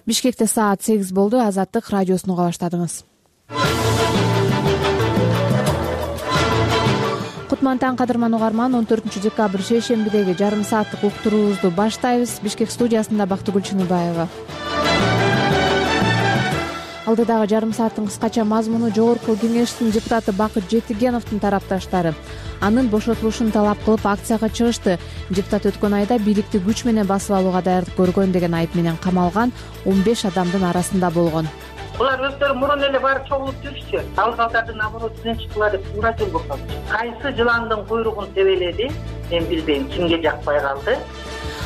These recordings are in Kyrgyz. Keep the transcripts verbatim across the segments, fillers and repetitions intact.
Бишкекте саат сегиз болду. Азаттык радиосун уга баштадыңыз. Кутман таң, кадырман угарман. он төртүнчү декабрь шейшембидеги жарым сааттык уктуруубузду баштайбыз. Бишкек студиясында Бактыгүл Чыныбаева. Алдыдагы жарым сааттын кыскача мазмуну: Жогорку кеңештин депутаты Бакыт Жетигеновдун тарапташтары анын бошотулушун талап кылып акцияга чыгышты. Депутат өткөн айда бийликти күч менен басып алууга даярдык көргөн деген айып менен камалган он беш адамдын арасында болгон. Булар өздөрү мурун эле барып чогулуп жүрчү. Алгалдардын оборотунан чыккыла деп туура жол болсочу. Кайсы жыландын куйругун тебеледи, мен билбейм, кимге жакпай калды.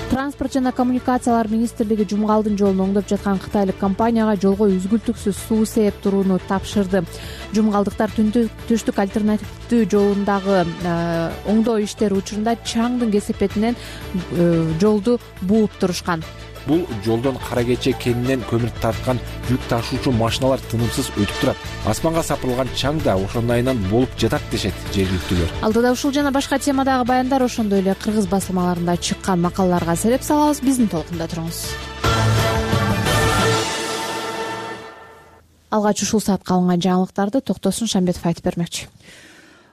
Транспорт жана коммуникациялар министрлиги Жумгалдын жолун оңдоп жаткан кытайлык компанияга жолго үзгүлтүксүз суу сээп турууну тапшырды. Жумгалдыктар түштүк альтернативдүү жолундагы оңдоо иштери учурунда чаңдын кесепетинен жолду бууп турушкан. Бул жолдон Кара Кече кенинен көмүр тарткан жүк ташуучу машиналар тынымсыз өтүп турат. Асманга сапырылган чаң да ошондун айынан болуп жатат дешет жергиликтүүлөр. Алдыда ушул жана башка темадагы баяндар, ошондой эле кыргыз басылмаларында чыккан макалаларга сереп салабыз. Биздин толкунда туруңуз. Алгач ушул саатка алынган жаңылыктарды Токтосун Шамбетов айтып бермекчи.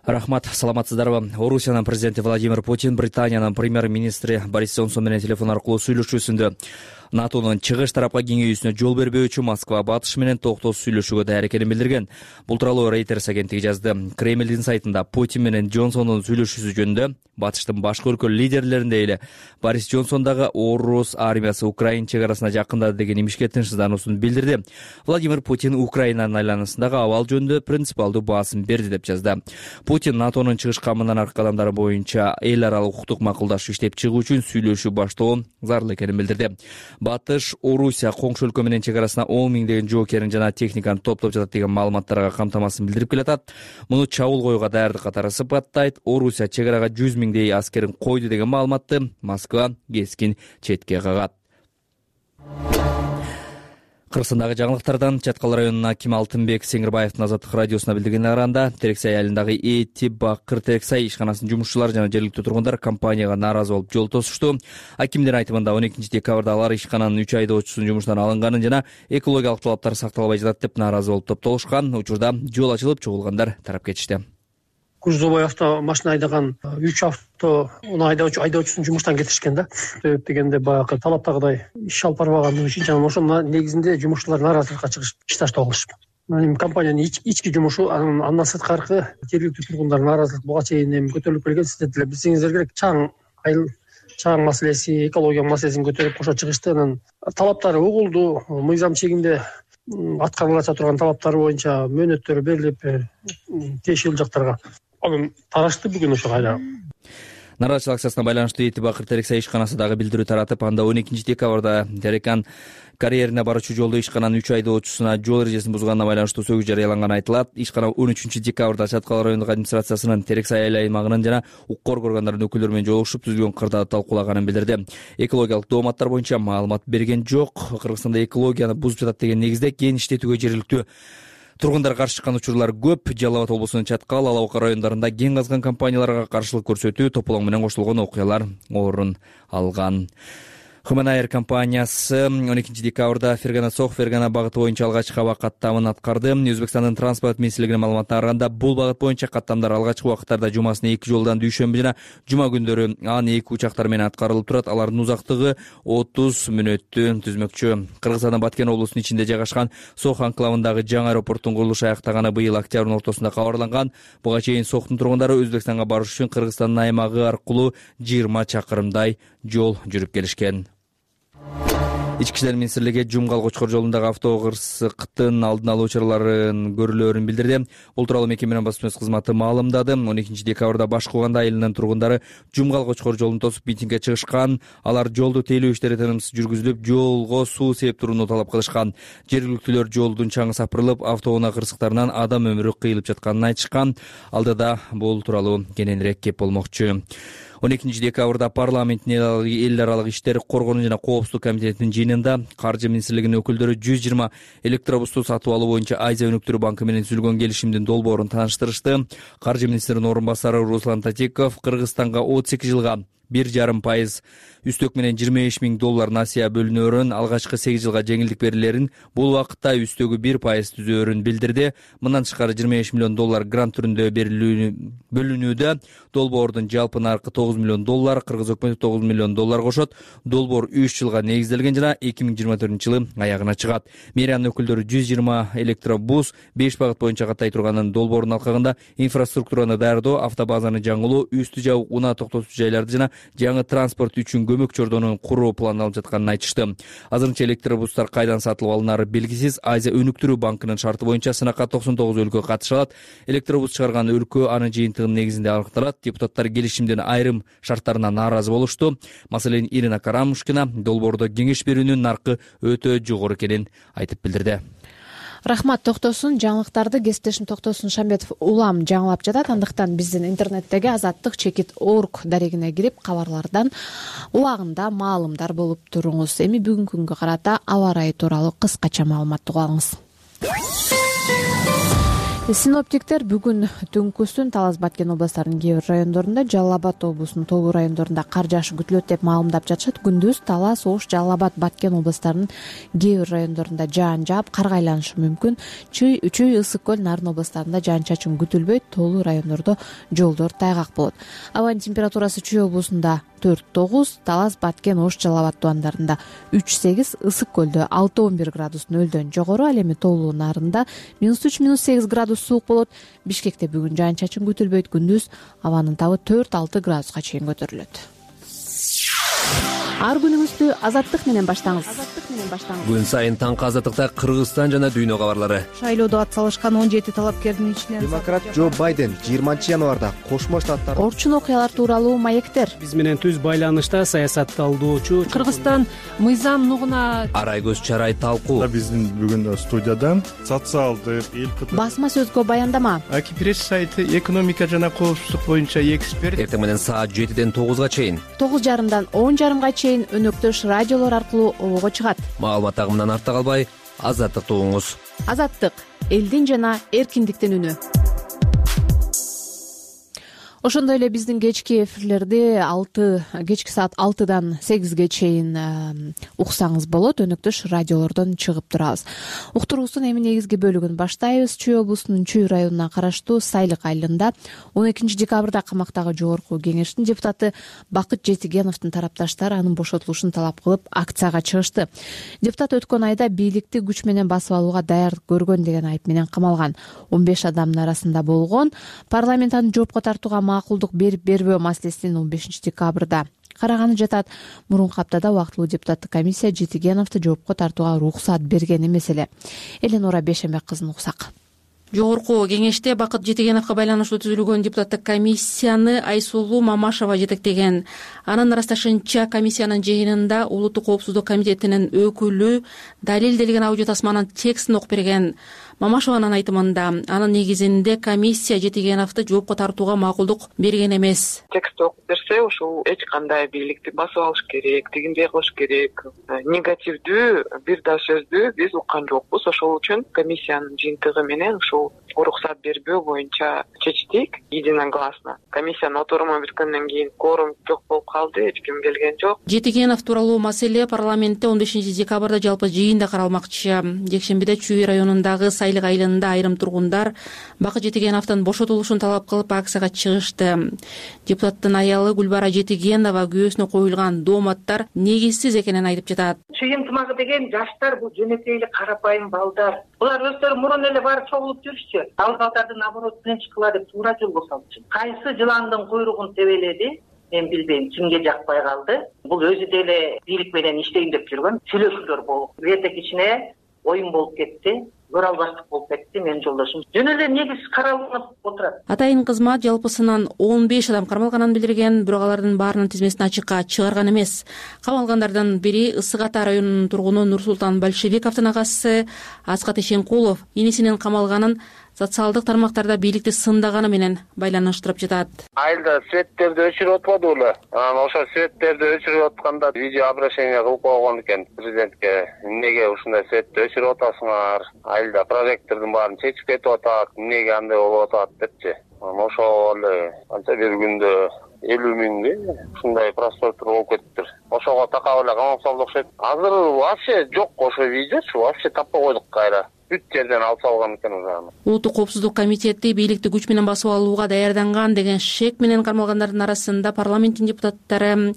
Рахмат, саламатсыздарбы? Орусиянын президенти Владимир Путин Британиянын премьер-министри Борис Джонсон менен телефон аркылуу сүйлөшүүсүндө НАТОнун чыгыш тарапка кеңейүүсүнө жол бербөө үчүн Москва батыш менен токтосуз сүйлөшүүгө даяр экенин билдирген. Бул тууралуу Reuters агенттиги жазды. Кремлдин сайтында Путин менен Джонсондун сүйлөшүүсү жөнүндө батыштын башка өлкө лидерлеринде эле Борис Джонсон дагы орус армиясы Украина чек арасына жакындады деген имишке тынчсыздануусун билдирди. Владимир Путин Украинанын айланасындагы абал жөнүндө принципиалдуу баасым берди деп жазды. Путин НАТОнун чыгыш камынан аркы кадамдары боюнча эл аралык укуктук макулдашуу иштеп чыгуу үчүн сүйлөшүү баштоо зарыл экенин билдирди. Батыш Орусия коңшу өлкө менен чек арасына он миңдеген жоокерин жана техниканы топтоп жатат деген маалыматтарга камтамасын билдирип келатат. Муну чабуул коюуга даярдык катары сыпаттайт. Орусия чек арага жүз миңдей аскерин койду деген маалыматты Москва кескин четке кагат. Кыргызстандагы жаңылыктардан Чаткал районунун акими Алтынбек Сеңирбаевдин Азаттык радиосуна билдиргенине караганда, Терексай айылындагы Эти Бакыр Терексай ишканасынын жумушчулары жана жергиликтүү тургундар компанияга нааразы болуп жол тосушту. Акимдин айтымында он экинчи декабрда алар ишкананын үч айдоочусунун жумуштан алынганын жана экологиялык талаптар сакталбай жатат деп нааразы болуп топтолушкан. Учурда жол ачылып, чогулгандар тарап кетишти. Грузовой авто машина айдаган үч авто айдоочу айдоочусун жумуштан кетишкен да. Себеп дегенде баягы талаптагыдай иш алып барбагандыгы үчүн жана ошонун негизинде жумушчулар нааразылыкка чыгышып иш таштап алышты. Компаниянын ички жумушу, андан сырткары жергиликтүү тургундар нааразылык буга чейин эми көтөрүлүп келген. Сиздер деле билсеңиздер керек, чаң айыл чаң маселеси, экология маселесин көтөрүп кошо чыгышты. Анан талаптары угулду, мыйзам чегинде аткарыла турган талаптар боюнча мөөнөттөр берилип, тиешелүү жактарга анын тарашты бүгүн ошо кайда. Нааразычылык акциясына байланыштуу Эти Бакыр Терексай ишканасы дагы билдирүү таратып, анда он экинчи декабрда Терекан карьерине баруучу жолдо ишкананын үч айдоочусуна жол эрежесин бузганына байланыштуу сөгүз жарыяланганы айтылат. Ишкана он үчүнчү декабрда Чаткал райондук администрациясынын Терексай айыл аймагынын жана укук органдарынын өкүлдөрү менен жолугушуп түзүлгөн кырдаатты талкуулаганын билдирди. Экологиялык дооматтар боюнча маалымат берген жок. Кыргызстанда экологияны бузуп жатат деген негизде кен иштетүүгө жергиликтүү тургундар каршы чыккан учурлар көп. Жалал Абад облусунун Чаткал, Ала Бука райондарында кен казган компанияларга каршылык көрсөтүү, тополоң менен кошулгон окуялар орун алган. Хуманайр компаниясы он экинчи декабрда Фергана Сох Фергана багыты боюнча алгачкы аба каттамын аткарды. Өзбекстандын транспорт министрлигинин маалыматына караганда, бул багыт боюнча каттамдар алгачкы убакыттарда жумасына эки жолдан дүйшөмбү жана жума күндөрү ан эки учактар менен аткарылып турат. Алардын узактыгы отуз мүнөттү түзмөкчү. Кыргызстандын Баткен облусунун ичинде жайгашкан Сох анклавындагы жаңы аэропорттун курулушу аяктаганы быйыл октябрдын ортосунда кабарланган. Буга чейин Сохтун тургундары Өзбекстанга барыш үчүн Кыргызстандын аймагы аркылуу жыйырма чакырымдай жол жүрүп келишкен. Ички иштер министрлиги Жумгал Кочкор жолундагы авто кырсыктын алдын алуу чараларын көрүлөөрүн билдирди. Бул тууралуу мекеменин басма сөз кызматы маалымдады. он экинчи декабрда Башкуганда айылынын тургундары Жумгал Кочкор жолун тосуп митингге чыгышкан. Алар жолду тейлөө иштери тынымсыз жүргүзүлүп, жолго суу сээп турууну талап кылышкан. Жергиликтүүлөр жолдун чаңы сапырылып, автоунаа кырсыктарынан адам өмүрү кыйылып жатканын айтышкан. Алдыда бул тууралуу кененирээк кеп болмокчу. он экинчи декабрда парламенттин эл аралык иштер, коргонуу жана коопсуздук комитетинин жыйынында Каржы министрлигинин өкүлдөрү жүз жыйырма электробусту сатып алуу боюнча Азия өнүктүрүү банкы менен түзүлгөн келишимдин долбоорун тааныштырышты. Каржы министринин орун басары Руслан Татиков Кыргызстанга отуз эки жылга бир жарым пайыз үстөк менен жыйырма беш миң доллар насыя бөлүнөөрүн, алгачкы сегиз жылга жеңилдик берилерин, бул убакытта үстөгү бир пайыз түзөөрүн билдирди. Мындан тышкары жыйырма беш миллион доллар грант түрүндө бөлүнүүдө. Долбоордун жалпы наркы тогуз миллион доллар, кыргыз өкмөтү тогуз миллион доллар кошот. Долбоор үч жылга негизделген жана эки миң жыйырма төртүнчү жылы аягына чыгат. Мэриянын өкүлдөрү жүз жыйырма электробус беш багыт боюнча каттай турганын, долбоордун алкагында инфраструктураны даярдоо, автобазаны жаңылоо, үстү жабык унаа токтотуучу жайларды жана жаңы транспорт үчүн көмөк чордонун куруу пландалып жатканын айтышты. Азырынча электробустар кайдан сатылып алынары белгисиз. Азия өнүктүрүү банкынын шарты боюнча сынакка токсон тогуз өлкө катыша алат. Электробус чыгарган өлкө анын жыйынтыгынын негизинде аныкталат. Депутаттар келишимдин айрым шарттарына нааразы болушту. Маселен, Ирина Карамушкина долбоордо кеңеш берүүнүн наркы өтө жогору экенин айтып билдирди. Рахмат, токтосун. Жаңылыктарды кесиптешим Токтосун Шамбетов улам жаңылап жатат. Андыктан биздин интернеттеги азаттык чекит орг дарегине кирип, кабарлардан убагында маалымдар болуп туруңуз. Эми бүгүнкү күнгө карата аба ырайы тууралуу кыскача маалымат угуп алыңыз. Синоптиктер бүгүн түнкүсүн Талас Баткен областарынын кээ бир райондорунда, Жалал Абад облусунун толугу райондорунда кар жаашы күтүлөт деп маалымдап жатышат. Күндүз Талас, Ош, Жалал Абад, Баткен областарынын кээ бир райондорунда жаан жаап, карга айланышы мүмкүн. Чүй, Чүй, Ысык көл, Нарын областарында жаан-чачын күтүлбөйт. Толугу райондордо жолдор тайгак болот. Абанын температурасы Чүй облусунда төрт тогуз, Талас, Баткен, Ош, Жалал Абад тубандарында үч сегиз, Ысык көлдө алты он бир градус нөлдөн жогору, ал эми Толугу Нарында минус үч минус сегиз градус суук болот. Бишкекте бүгүн жаан-чачын күтүлбөйт. Күндүз абанын табы төрт алты градуска чейин көтөрүлөт. Ар күнүңүздү азаттык менен баштаңыз. Азаттык менен баштаңыз. Күн сайын таңкы азаттыкта Кыргызстан жана дүйнө кабарлары. Шайлоодо ат салышкан он жети талапкердин ичинен демократ Джо Байден жыйырманчы январда Кошмо Штаттар орчун окуялар тууралуу маектер. Биз менен түз байланышта саясатталдоочу Кыргызстан мыйзам нугуна Арай көз чарай талкуу. Биздин бүгүн студияда социалдык эл басма сөзгө баяндама. Аки пресс сайты экономика жана коопсуздук боюнча эксперт. Эртең менен саат жетиден тогузга чейин, тогуз жарымдан он жарымга чейин өнөктөш радиолор аркылуу обого чыгат. Маалымат агымынан артта калбай, азаттыкты угуңуз. Азаттык — элдин жана эркиндиктин үнү. Ошондой эле биздин кечки эфирлерди алты кечки саат алтыдан сегизге чейин уксаңыз болот. Өнөктөш радиолордон чыгып турабыз. Уктуруубуздун эми негизги бөлүгүн баштайбыз. Чүй облусунун Чүй районуна караштуу Сайлык айылында он экинчи декабрда камактагы жогорку кеңештин депутаты Бакыт Жетигеновдун тарапташтары анын бошотулушун талап кылып акцияга чыгышты. Депутат өткөн айда бийликти күч менен басып алууга даяр көргөн деген айып менен камалган. он беш адамдын арасында болгон. Парламент аны жоопко тартууга макулдук берип бербөө маселесин он бешинчи декабрда караганы жатат. Мурунку аптада убактылуу депутаттык комиссия Жетигеновду жоопко тартууга уруксат берген эмес эле. Эленора Бешембек кызын уксак. Жогорку кеңеште Бакыт Жетигеновго байланыштуу түзүлгөн депутаттык комиссияны Айсулуу Мамашева жетектеген. Анын ырасташынча, комиссиянын жыйынында Улуттук коопсуздук комитетинин өкүлү далилделген аудио тасманын текстин окуп берген. Мамашеванын айтымында, анын негизинде комиссия Жетигеновду жоопко тартууга макулдук берген эмес. Текст окуп берсе, ушул эч кандай бийликти басып алыш керек, тигиндей кылыш керек, негативдүү бир да сөздү биз уккан жокпуз. Ошол үчүн комиссиянын жыйынтыгы менен ушул уруксат бербөө боюнча чечтик единогласно. Комиссиянын отуруму бүткөндөн кийин кворум жок болуп калды, эч ким келген жок. Жетигенов тууралуу маселе парламентте он бешинчи декабрда жалпы жыйында каралмакчы. Жекшембиде Чүй районундагы Сайлык айылында айрым тургундар Бакыт Жетигеновдун бошотулушун талап кылып акцияга чыгышты. Депутаттын аялы Гүлбара Жетигенова күйөөсүнө коюлган дооматтар негизсиз экенин айтып жатат. Чүй ынтымагы деген жаштар, бул жөнөкөй эле карапайым балдар. Булар өздөрү мурун эле барып чогулуп жүрүшчү. Ал балдарды наоборот тынчкыла деп туура жолго салчу. Кайсы жыландын куйругун тебеледи, мен билбейм, кимге жакпай калды. Бул өзү деле бийлик менен иштейм деп жүргөн сүйлөшүүлөр болуп, бирдек ичине оюн болуп кетти. Көрө албаштык болуп кетти. Менин жолдошум жөн эле негиз каралынып отурат. Атайын кызмат жалпысынан он беш адам кармалганын билдирген, бирок алардын баарынын тизмесин ачыкка чыгарган эмес. Камалгандардын бири Ысык Ата районунун тургуну Нурсултан Большевиковдун агасы Аскат Ишенкулов инисинин камалганын социалдык тармактарда бийликти сындаганы менен байланыштырып жатат. Айылда светтерди өчүрүп атпадыбы? Анан ошол светтерди өчүрүп атканда видео обращение кылып койгон экен президентке. Эмнеге ушундай светти өчүрүп атасыңар? Айылда прожектордун баарын чечип кетип атат. Эмнеге андай болуп атат депчи. Ошол эле анча бир күндө элүү миңге ушундай просмотр болуп кетиптир. Ошого такап эле камап салды окшойт. Азыр вообще жок ошо видеочу, вообще таппай койдук кайра. Бүт жерден алып салган экен ужаны. Улуттук коопсуздук комитети бийликти күч менен басып алууга даярданган деген шек менен кармалгандардын арасында парламенттин депутаттары,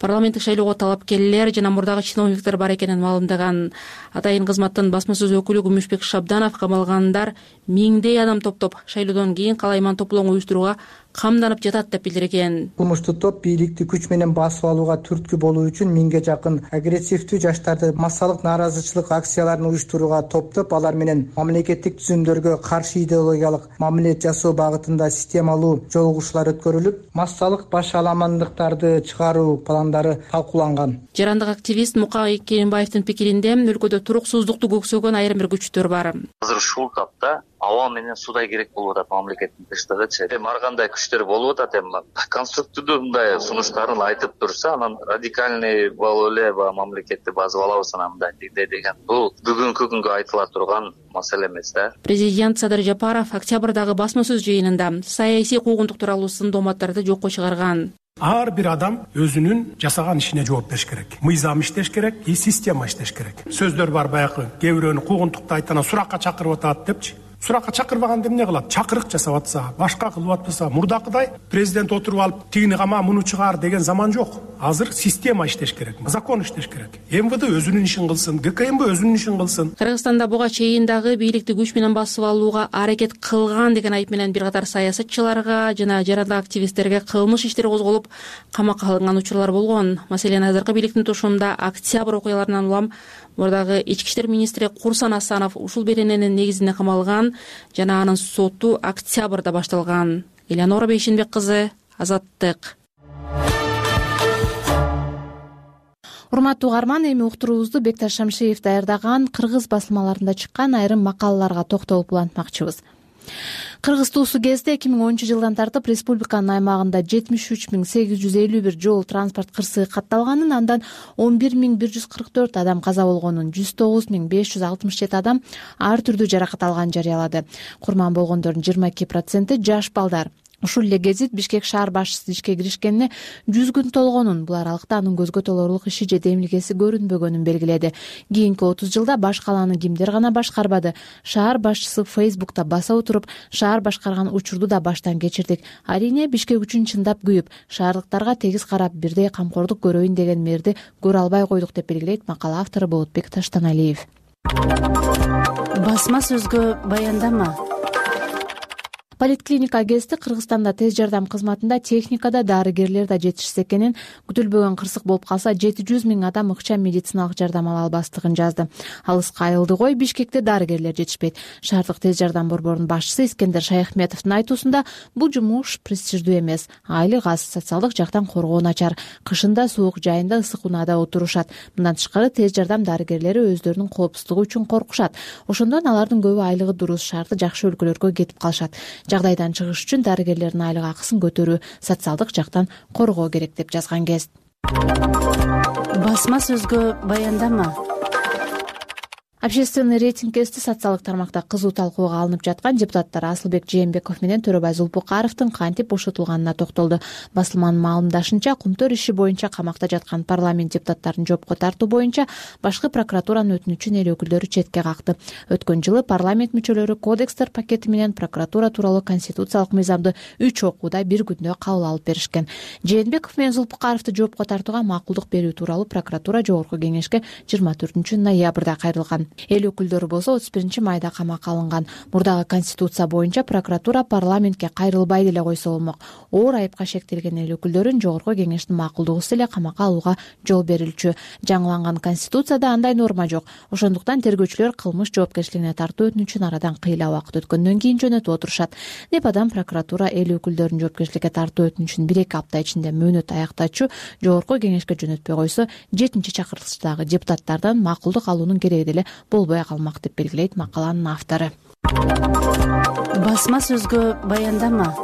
парламенттик шайлоого талапкерлер жана мурдагы чиновниктер бар экенин маалымдаган. Атайын кызматтын басма сөз өкүлү Күмүшбек Шабданов камалгандар миңдей адам топтоп шайлоодон кийин калайман топлоону уюштурууга камданып жатат деп билдирген. Кылмыштуу топ бийликти күч менен басып алууга түрткү болуу үчүн миңге жакын агрессивдүү жаштарды массалык нааразычылык акцияларын уюштурууга топтоп, алар менен мамлекеттик түзүмдөргө каршы идеологиялык мамиле жасоо багытында системалуу жолугушуулар өткөрүлүп, массалык баш аламандыктарды чыгаруу пландары талкууланган. Жарандык активист Мука Керимбаевдин пикиринде өлкөдө туруксуздукту көксөгөн айрым бир күчтөр бар. Азыр ушул тапта аба менен судай керек болуп атат мамлекеттин тынчтыгычы. Эми ар кандай күчтөр болуп атат, эми конструктивдүү мындай сунуштарын айтып турса, анан радикальный болуп эле мамлекетти басып алабыз анан мындай деген. Бул бүгүнкү күнгө айтыла турган маселе эмес да. Президент Садыр Жапаров октябрдагы басма сөз жыйынында саясий куугунтук тууралуу сын дооматтарды жокко чыгарган. Ар бир адам өзүнүн жасаган ишине жооп бериш керек. Мыйзам иштеш керек, и система иштеш керек. Сөздөр бар баягы, кээ бирөөнү куугунтукта айтканда суракка чакырып атат депчи. Суракка чакырбаганда эмне кылат? Чакырык жасап атса, башка кылып атпаса, мурдакыдай президент отуруп алып тигини кама, муну чыгар деген заман жок. Азыр система иштеш керек, закон иштеш керек. эм вэ дэ өзүнүн ишин кылсын, гэ ка эм бэ өзүнүн ишин кылсын. Кыргызстанда буга чейин дагы бийликти күч менен басып алууга аракет кылган деген айып менен бир катар саясатчыларга жана жарандык активисттерге кылмыш иштери козголуп, камакка алынган учурлар болгон. Маселен, азыркы бийликтин тушунда октябрь окуяларынан улам мурдагы ички иштер министри Курсан Асанов ушул берененин негизинде камалган жана анын соту октябрда башталган. Элеонора Бейшенбек кызы, Азаттык. Урматтуу угарман, эми уктуруубузду Бекташ Шамшиев даярдаган кыргыз басылмаларында чыккан айрым макалаларга токтолуп улантмакчыбыз. Кыргыз туусу кезде эки миң онунчу жылдан тартып республиканын аймагында жетимиш үч миң сегиз жүз элүү бир жол транспорт кырсыгы катталганын, андан он бир миң бир жүз кырк төрт адам каза болгонун, жүз тогуз миң беш жүз алтымыш жети адам ар түрдүү жаракат алганын жарыялады. Курман болгондордун жыйырма эки проценти жаш балдар. Ушул эле гезит Бишкек шаар башчысы ишке киришкенине жүз күн толгонун, бул аралыкта анын көзгө толорлук иши же демилгеси көрүнбөгөнүн белгиледи. Кийинки отуз жылда баш калааны кимдер гана башкарбады? Шаар башчысы Фейсбукта баса отуруп, шаар башкарган учурду да баштан кечирдик. Арийне Бишкек үчүн чындап күйүп, шаардыктарга тегиз карап, бирдей камкордук көрөйүн деген мээрди көрө албай койдук деп белгилейт макала автору Болотбек Таштаналиев. Басма сөзгө баяндама. Политклиника гезити Кыргызстанда тез жардам кызматында техникада дарыгерлер да жетишсиз экенин, күтүлбөгөн кырсык болуп калса жети жүз миң адам ыкчам медициналык жардам ала албастыгын жазды. Алыска айылды кой, Бишкекте дарыгерлер жетишпейт. Шаардык тез жардам борборунун башчысы Искендер Шаяхметовдун айтуусунда бул жумуш престиждүү эмес. Айлык аз, социалдык жактан коргоо начар. Кышында суук, жайында ысык унаада отурушат. Мындан тышкары тез жардам дарыгерлери өздөрүнүн коопсуздугу үчүн коркушат. Ошондон алардын көбү айлыгы дурус, шаарда жакшы өлкөлөргө кетип калышат. Жагдайдан чыгыш үчүн дарыгерлердин айлык акысын көтөрүү, социалдык жактан коргоо керек деп жазган Гезит. Басма сөзгө баяндама. Общественный рейтинг гезити социалдык тармакта кызуу талкууга алынып жаткан депутаттар Асылбек Жээнбеков менен Төрөбай Зулпукаровдун кантип бошотулганына токтолду. Басылманын маалымдашынча, Кумтөр иши боюнча камакта жаткан парламент депутаттарын жоопко тартуу боюнча башкы прокуратуранын өтүнүчүн эл өкүлдөрү четке какты. Өткөн жылы парламент мүчөлөрү кодекстер пакети менен прокуратура тууралуу конституциялык мыйзамды үч окууда бир күндө кабыл алып беришкен. Жээнбеков менен Зулпукаровду жоопко тартууга макулдук берүү тууралуу прокуратура жогорку кеңешке жыйырма төртүнчү ноябрда кайрылган. Эл өкүлдөрү болсо отуз биринчи майда камакка алынган. Мурдагы конституция боюнча прокуратура парламентке кайрылбай деле койсо болмок. Оор айыпка шектелген эл өкүлдөрүн жогорку кеңештин макулдугусу эле камакка алууга жол берилчү. Жаңыланган конституцияда андай норма жок. Ошондуктан тергөөчүлөр кылмыш жоопкерчилигине тартуу өтүнүчүн арадан кыйла убакыт өткөндөн кийин жөнөтүп отурушат. Непадан прокуратура эл өкүлдөрүн жоопкерчиликке тартуу өтүнүчүн бир эки апта ичинде мөөнөт аяктачу жогорку кеңешке жөнөтпөй койсо, жетинчи чакырылыштагы депутаттардан макулдук алуунун кереги деле болбой калмак деп белгилейт макаланын автору. Басма сөзгө баяндама.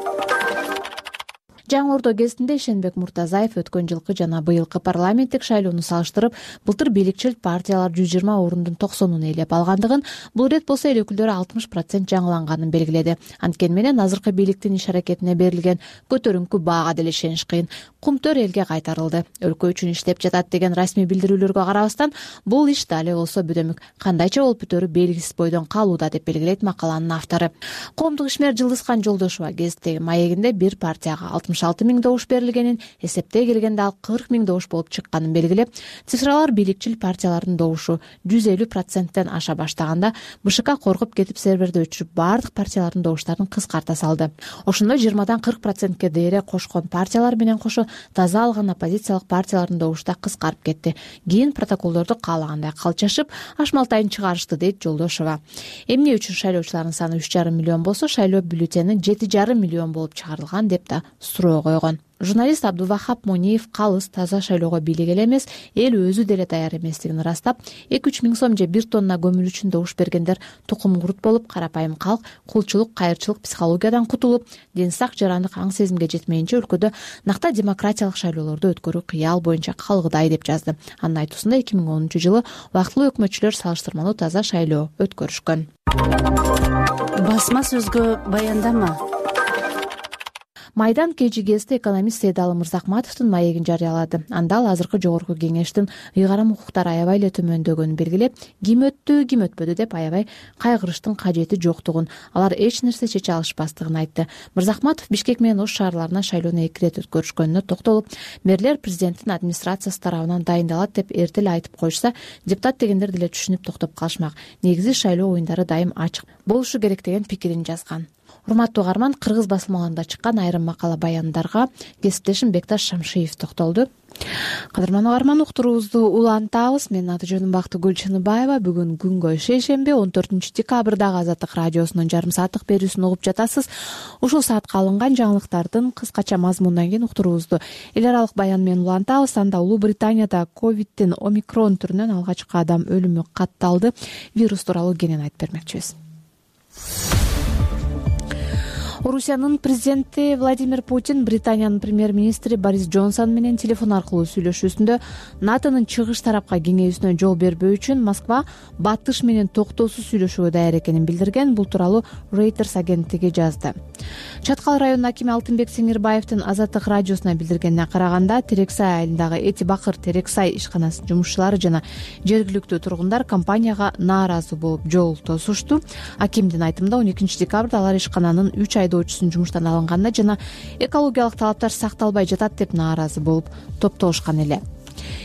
Жаңы Ордо гезитинде Ишенбек Муртазаев өткөн жылкы жана быйылкы парламенттик шайлоону салыштырып, былтыр бийликчил партиялар жүз жыйырма орундун токсонун ээлеп алгандыгын, бул ирет болсо эл өкүлдөрү алтымыш процент жаңыланганын белгиледи. Анткени менен азыркы бийликтин иш-аракетине берилген көтөрүңкү баага деле ишениш кыйын. Кумтөр элге кайтарылды. Өлкө үчүн иштеп жатат деген расмий билдирүүлөргө карабастан, бул иш дали болсо бүдөмүк, кандайча болуп бүтөрү белгисиз бойдон калууда деп белгилейт макаланын автору. Коомдук ишмер Жылдызкан Жолдошова гезиттеги маегинде бир партияга алтымыш алты миң добуш берилгенин, эсептей келгенде ал кырк миң добуш болуп чыкканын белгилеп, цифралар бийликчил партиялардын добушу жүз элүү проценттен аша баштаганда БШК коркуп кетип серверди өчүрүп, баардык партиялардын добуштарын кыскарта салды. Ошондо жыйырмадан кырк процентке дейре кошкон партиялар менен кошо таза алган оппозициялык партиялардын добушу да кыскарып кетти. Кийин протоколдорду каалагандай калчашып, ашмалтайын чыгарышты, дейт Жолдошова. Эмне үчүн шайлоочулардын саны үч жарым миллион болсо, шайлоо бюллетени жети жарым миллион болуп чыгарылган деп да суроо койгон. Журналист Абдувахап Мониев калыс таза шайлоого бийлик эле эмес, эл өзү деле даяр эместигин ырастап, эки үч миң сом же бир тонна көмүр үчүн добуш бергендер тукум курут болуп, карапайым калк кулчулук, кайырчылык психологиядан кутулуп, ден сак жарандык аң сезимге жетмейинче өлкөдө накта демократиялык шайлоолорду өткөрүү кыял боюнча калгыдай деп жазды. Анын айтуусунда эки миң онунчу жылы убактылуу өкмөтчүлөр салыштырмалуу таза шайлоо өткөрүшкөн. Басма сөзгө баяндама. Майдан кечи гезити экономист Сейдалы Мырзахматовдун маегин жарыялады. Анда ал азыркы жогорку кеңештин ыйгарым укуктары аябай эле төмөндөгөнүн белгилеп, ким өттү, ким өтпөдү деп аябай кайгырыштын кажети жоктугун, алар эч нерсе чече алышпастыгын айтты. Мырзахматов Бишкек менен Ош шаарларына шайлоону эки ирет өткөрүшкөнүнө токтолуп, мэрлер президенттин администрациясы тарабынан дайындалат деп эрте эле айтып коюшса, депутат дегендер деле түшүнүп токтоп калышмак. Негизи шайлоо оюндары дайым ачык болушу керек деген пикирин жазган. Урматтуу угарман, кыргыз басылмаларында чыккан айрым макала баяндарга кесиптешим Бекташ Шамшиев токтолду. Кадырман угарман, уктуруубузду улантабыз. Менин аты жөнүм Бактыгүл Чыныбаева. Бүгүн күнгө шейшемби он төртүнчү декабрдагы Азаттык радиосунун жарым сааттык берүүсүн угуп жатасыз. Ушул саатка алынган жаңылыктардын кыскача мазмунунан кийин уктуруубузду эл аралык баян менен улантабыз. Анда Улуу Британияда ковидтин омикрон түрүнөн алгачкы адам өлүмү катталды. Вирус тууралуу кенен айтып бермекчибиз. Орусиянын президенти Владимир Путин Британиянын премьер-министри Борис Джонсон менен телефон аркылуу сүйлөшүүсүндө НАТОнун чыгыш тарапка кеңейүүсүнө жол бербөө үчүн Москва батыш менен токтоосуз сүйлөшүүгө даяр экенин билдирген. Бул тууралуу Reuters агенттиги жазды. Чаткал районунун акими Алтынбек Сеңирбаевдин Азаттык радиосуна билдиргенине караганда, Терексай айылындагы Эти Бакыр Терексай ишканасынын жумушчулары жана жергиликтүү тургундар компанияга нааразы болуп жол тосушту. Акимдин айтымында он экинчи декабрда алар ишкананын үч айдоочусун жумуштан алынганда жана экологиялык талаптар сакталбай жатат деп нааразы болуп топтолушкан эле.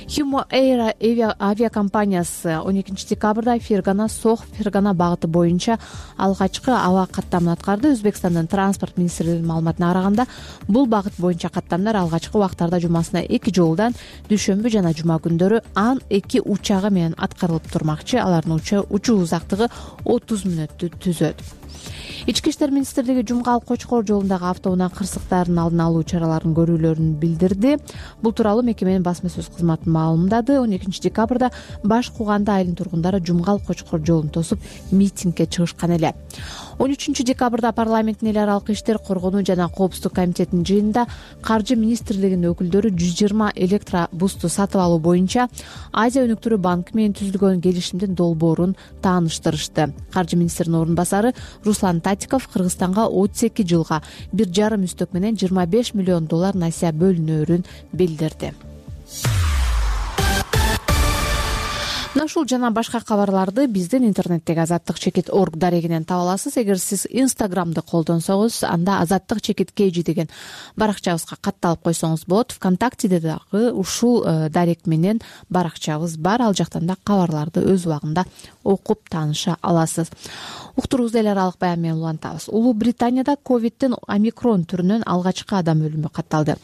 Humo Air авиакомпаниясы он экинчи декабрда Фергана Сох Фергана багыты боюнча алгачкы аба каттамын аткарды. Өзбекстандын транспорт министрлигинин маалыматына караганда, бул багыт боюнча каттамдар алгачкы убактарда жумасына эки жолудан дүйшөмбү жана жума күндөрү ан эки учагы менен аткарылып турмакчы. Алардын учуу узактыгы отуз мүнөттү түзөт. Ички иштер министрлиги Жумгал Кочкор жолундагы автоунаа кырсыктарын алдын алуу чараларын көрүүлөрүн билдирди. Бул тууралуу мекеменин басма сөз кызматы маалымдады. он экинчи декабрда Баш Куганды айылынын тургундары Жумгал Кочкор жолун тосуп митингге чыгышкан эле. он үчүнчү декабрда парламенттин эл аралык иштер, коргонуу жана коопсуздук комитетинин жыйынында каржы министрлигинин өкүлдөрү жүз жыйырма электробусту сатып алуу боюнча Азия өнүктүрүү банкы менен түзүлгөн келишимдин долбоорун тааныштырышты. Каржы министринин орун басары Руслан Татиков Кыргызстанга отуз эки жылга бир жарым үстөк менен жыйырма беш миллион доллар насыя бөлүнөөрүн билдирди. Мына ушул жана башка кабарларды биздин интернеттеги азаттык чекит точка орг дарегинен таба аласыз. Эгер сиз Инстаграмды колдонсоңуз, анда азаттык чекит kg деген баракчабызга катталып койсоңуз болот. ВКонтактеде дагы ушул дарек менен баракчабыз бар. Ал жактан да кабарларды өз убагында окуп тааныша аласыз. Уктуруубузду эл аралык баян менен улантабыз. Улуу Британияда ковидтин омикрон түрүнөн алгачкы адам өлүмү катталды.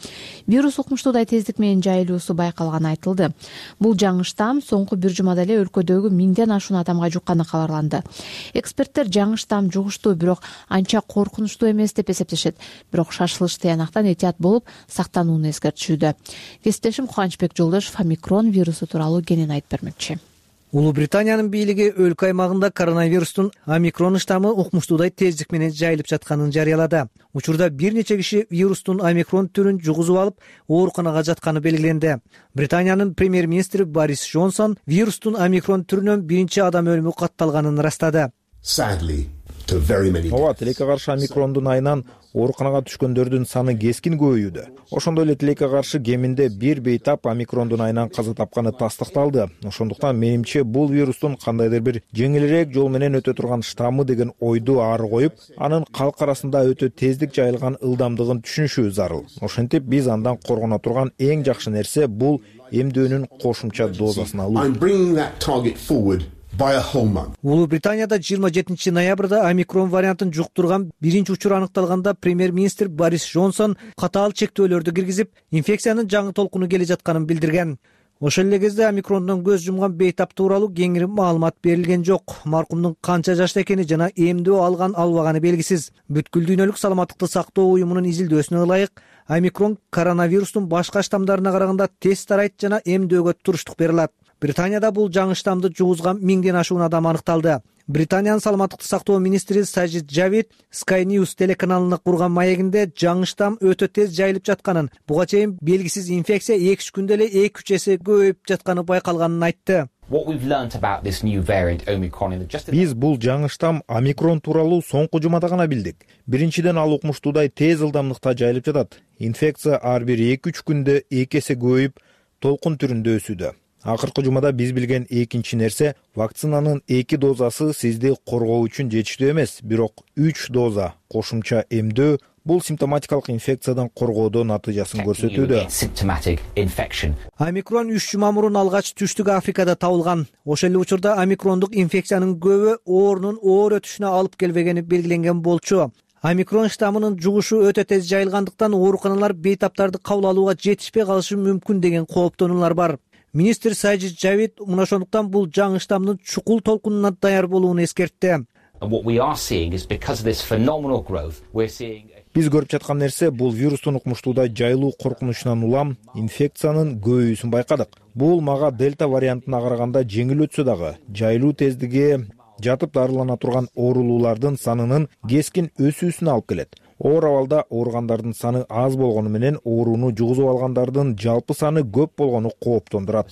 Вирус укмуштуудай тездик менен жайылуусу байкалганы айтылды. Бул жаңы штамм соңку бир жумада эле өлкөдөгү миңден ашуун адамга жукканы кабарланды. Эксперттер жаңы штамм жугуштуу, бирок анча коркунучтуу эмес деп эсептешет. Бирок шашылыш тыянактан этият болуп, сактанууну эскертишүүдө. Кесиптешим Кубанычбек Жолдошов омикрон вирусу тууралуу кенен айтып бермекчи. Улуу Британиянын бийлиги өлкө аймагында коронавирустун омикрон штаммы укмуштуудай тездик менен жайылып жатканын жарыялады. Учурда бир нече киши вирустун омикрон түрүн жугузуп алып, ооруканага жатканы белгиленди. Британиянын премьер-министри Борис Джонсон вирустун омикрон түрүнөн биринчи адам өлүмү катталганын ырастады. ооба, тилекке каршы омикрондун айынан ооруканага түшкөндөрдүн саны кескин көбөйүүдө. Ошондой эле тилекке каршы кеминде бир бейтап омикрондун айынан каза тапканы тастыкталды. Ошондуктан менимче бул вирустун кандайдыр бир жеңилирээк жол менен өтө турган штаммы деген ойду ары коюп, анын калк арасында өтө тездик жайылган ылдамдыгын түшүнүшүбүз зарыл. Ошентип биз андан коргоно турган эң жакшы нерсе бул эмдөөнүн кошумча дозасын алуу. Улуу Британияда жыйырма жетинчи ноябрда омикрон вариантын жуктурган биринчи учур аныкталганда премьер-министр Борис Джонсон катаал чектөөлөрдү киргизип, инфекциянын жаңы толкуну келе жатканын билдирген. Ошол эле кезде омикрондон көз жумган бейтап тууралуу кеңири маалымат берилген жок. Маркумдун канча жашта экени жана эмдөө алган албаганы белгисиз. Бүткүл дүйнөлүк саламаттыкты сактоо уюмунун изилдөөсүнө ылайык, омикрон коронавирустун башка штамдарына караганда тез тарайт жана эмдөөгө туруштук бере алат. Британияда бул жаңы штамды жугузган миңден ашуун адам аныкталды. Британиянын саламаттыкты сактоо министри Сажид Жавид Sky News телеканалына курган маегинде жаңы штамм өтө тез жайылып жатканын, буга чейин белгисиз инфекция эки үч күндө эле эки үч эсе көбөйүп жатканы байкалганын айтты. Биз бул жаңы штамм омикрон тууралуу соңку жумада гана билдик. Биринчиден ал укмуштуудай тез ылдамдыкта жайылып жатат. Инфекция ар бир эки үч күндө эки эсе көбөйүп, толкун түрүндө өсүүдө. Акыркы жумада биз билген экинчи нерсе, вакцинанын эки дозасы сизди коргоо үчүн жетиштүү эмес, бирок үч доза кошумча эмдөө бул симптоматикалык инфекциядан коргоодо натыйжасын көрсөтүүдө. Омикрон үч жума мурун алгач Түштүк Африкада табылган. Ошол эле учурда омикрондук инфекциянын көбү оорунун оор өтүшүнө алып келбегени белгиленген болчу. Омикрон штаммынын жугушу өтө тез жайылгандыктан ооруканалар бейтаптарды кабыл алууга жетишпей калышы мүмкүн деген кооптонуулар бар. Министр Сажид Жавид мына ошондуктан бул жаңы штаммдын чукул толкунуна даяр болууну эскертти. Биз көрүп жаткан нерсе бул вирустун укмуштуудай жайылуу коркунучунан улам инфекциянын көбөйүүсүн байкадык. Бул мага дельта вариантына караганда жеңил өтсө дагы, жайылуу тездиги жатып дарылана турган оорулуулардын санынын кескин өсүүсүнө алып келет. Оор абалда ооругандардын саны аз болгону менен ооруну жугузуп алгандардын жалпы саны көп болгону кооптондурат.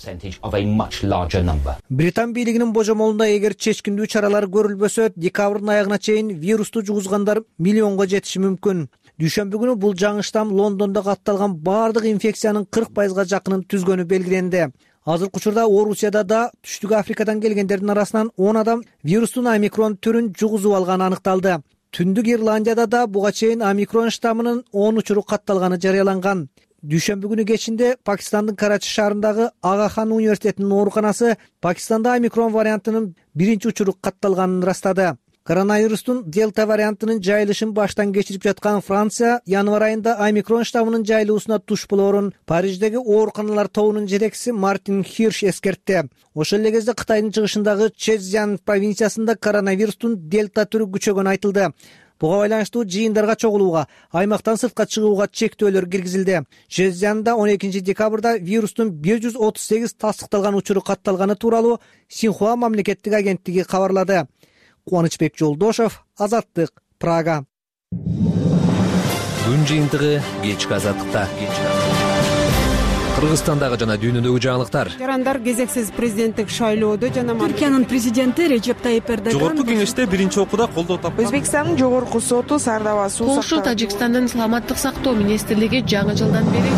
Британ бийлигинин божомолунда эгер чечкиндүү чаралар көрүлбөсө, декабрдын аягына чейин вирусту жугузгандар миллионго жетиши мүмкүн. Дүйшөмбү күнү бул жаңы штамм Лондондо катталган бардык инфекциянын кырк пайызга жакынын түзгөнү белгиленди. Азыркы учурда Орусияда да Түштүк Африкадан келгендердин арасынан он адам вирустун омикрон түрүн жугузуп алганы аныкталды. Түндүк Ирландияда да буга чейин омикрон штаммынын он учуру катталганы жарыяланган. Дүйшөмбү күнү кечинде Пакистандын Карачи шаарындагы Ага хан университетинин ооруканасы Пакистанда омикрон вариантынын биринчи учуру катталганын ырастады. Коронавирустун дельта вариантынын жайылышын баштан кечирип жаткан Франция январь айында омикрон штаммынын жайылуусуна туш болоорун Париждеги ооруканалар тобунун жетекчиси Мартин Хирш эскертти. Ошол эле кезде Кытайдын чыгышындагы Чжэцзян провинциясында коронавирустун дельта түрү күчөгөнү айтылды. Буга байланыштуу жыйындарга чогулууга, аймактан сыртка чыгууга чектөөлөр киргизилди. Чжэцзянда он экинчи декабрда вирустун бир жүз отуз сегиз тастыкталган учуру катталганы тууралуу Синьхуа мамлекеттик агенттиги кабарлады. Кубанычбек Жолдошев, Азаттык, Прага. Күн жыйынтыгы кечки Азаттыкта. Кыргызстандагы жана дүйнөдөгү жаңылыктар. Жарандар кезексиз президенттик шайлоодо жана Түркиянын президенти Режеп Тайип Эрдоган жогорку кеңеште биринчи окууда колдоо тапкан. Өзбекстандын жогорку соту Сардаба суу Польша Тажикстандын саламаттык сактоо министрлиги жаңы жылдан бери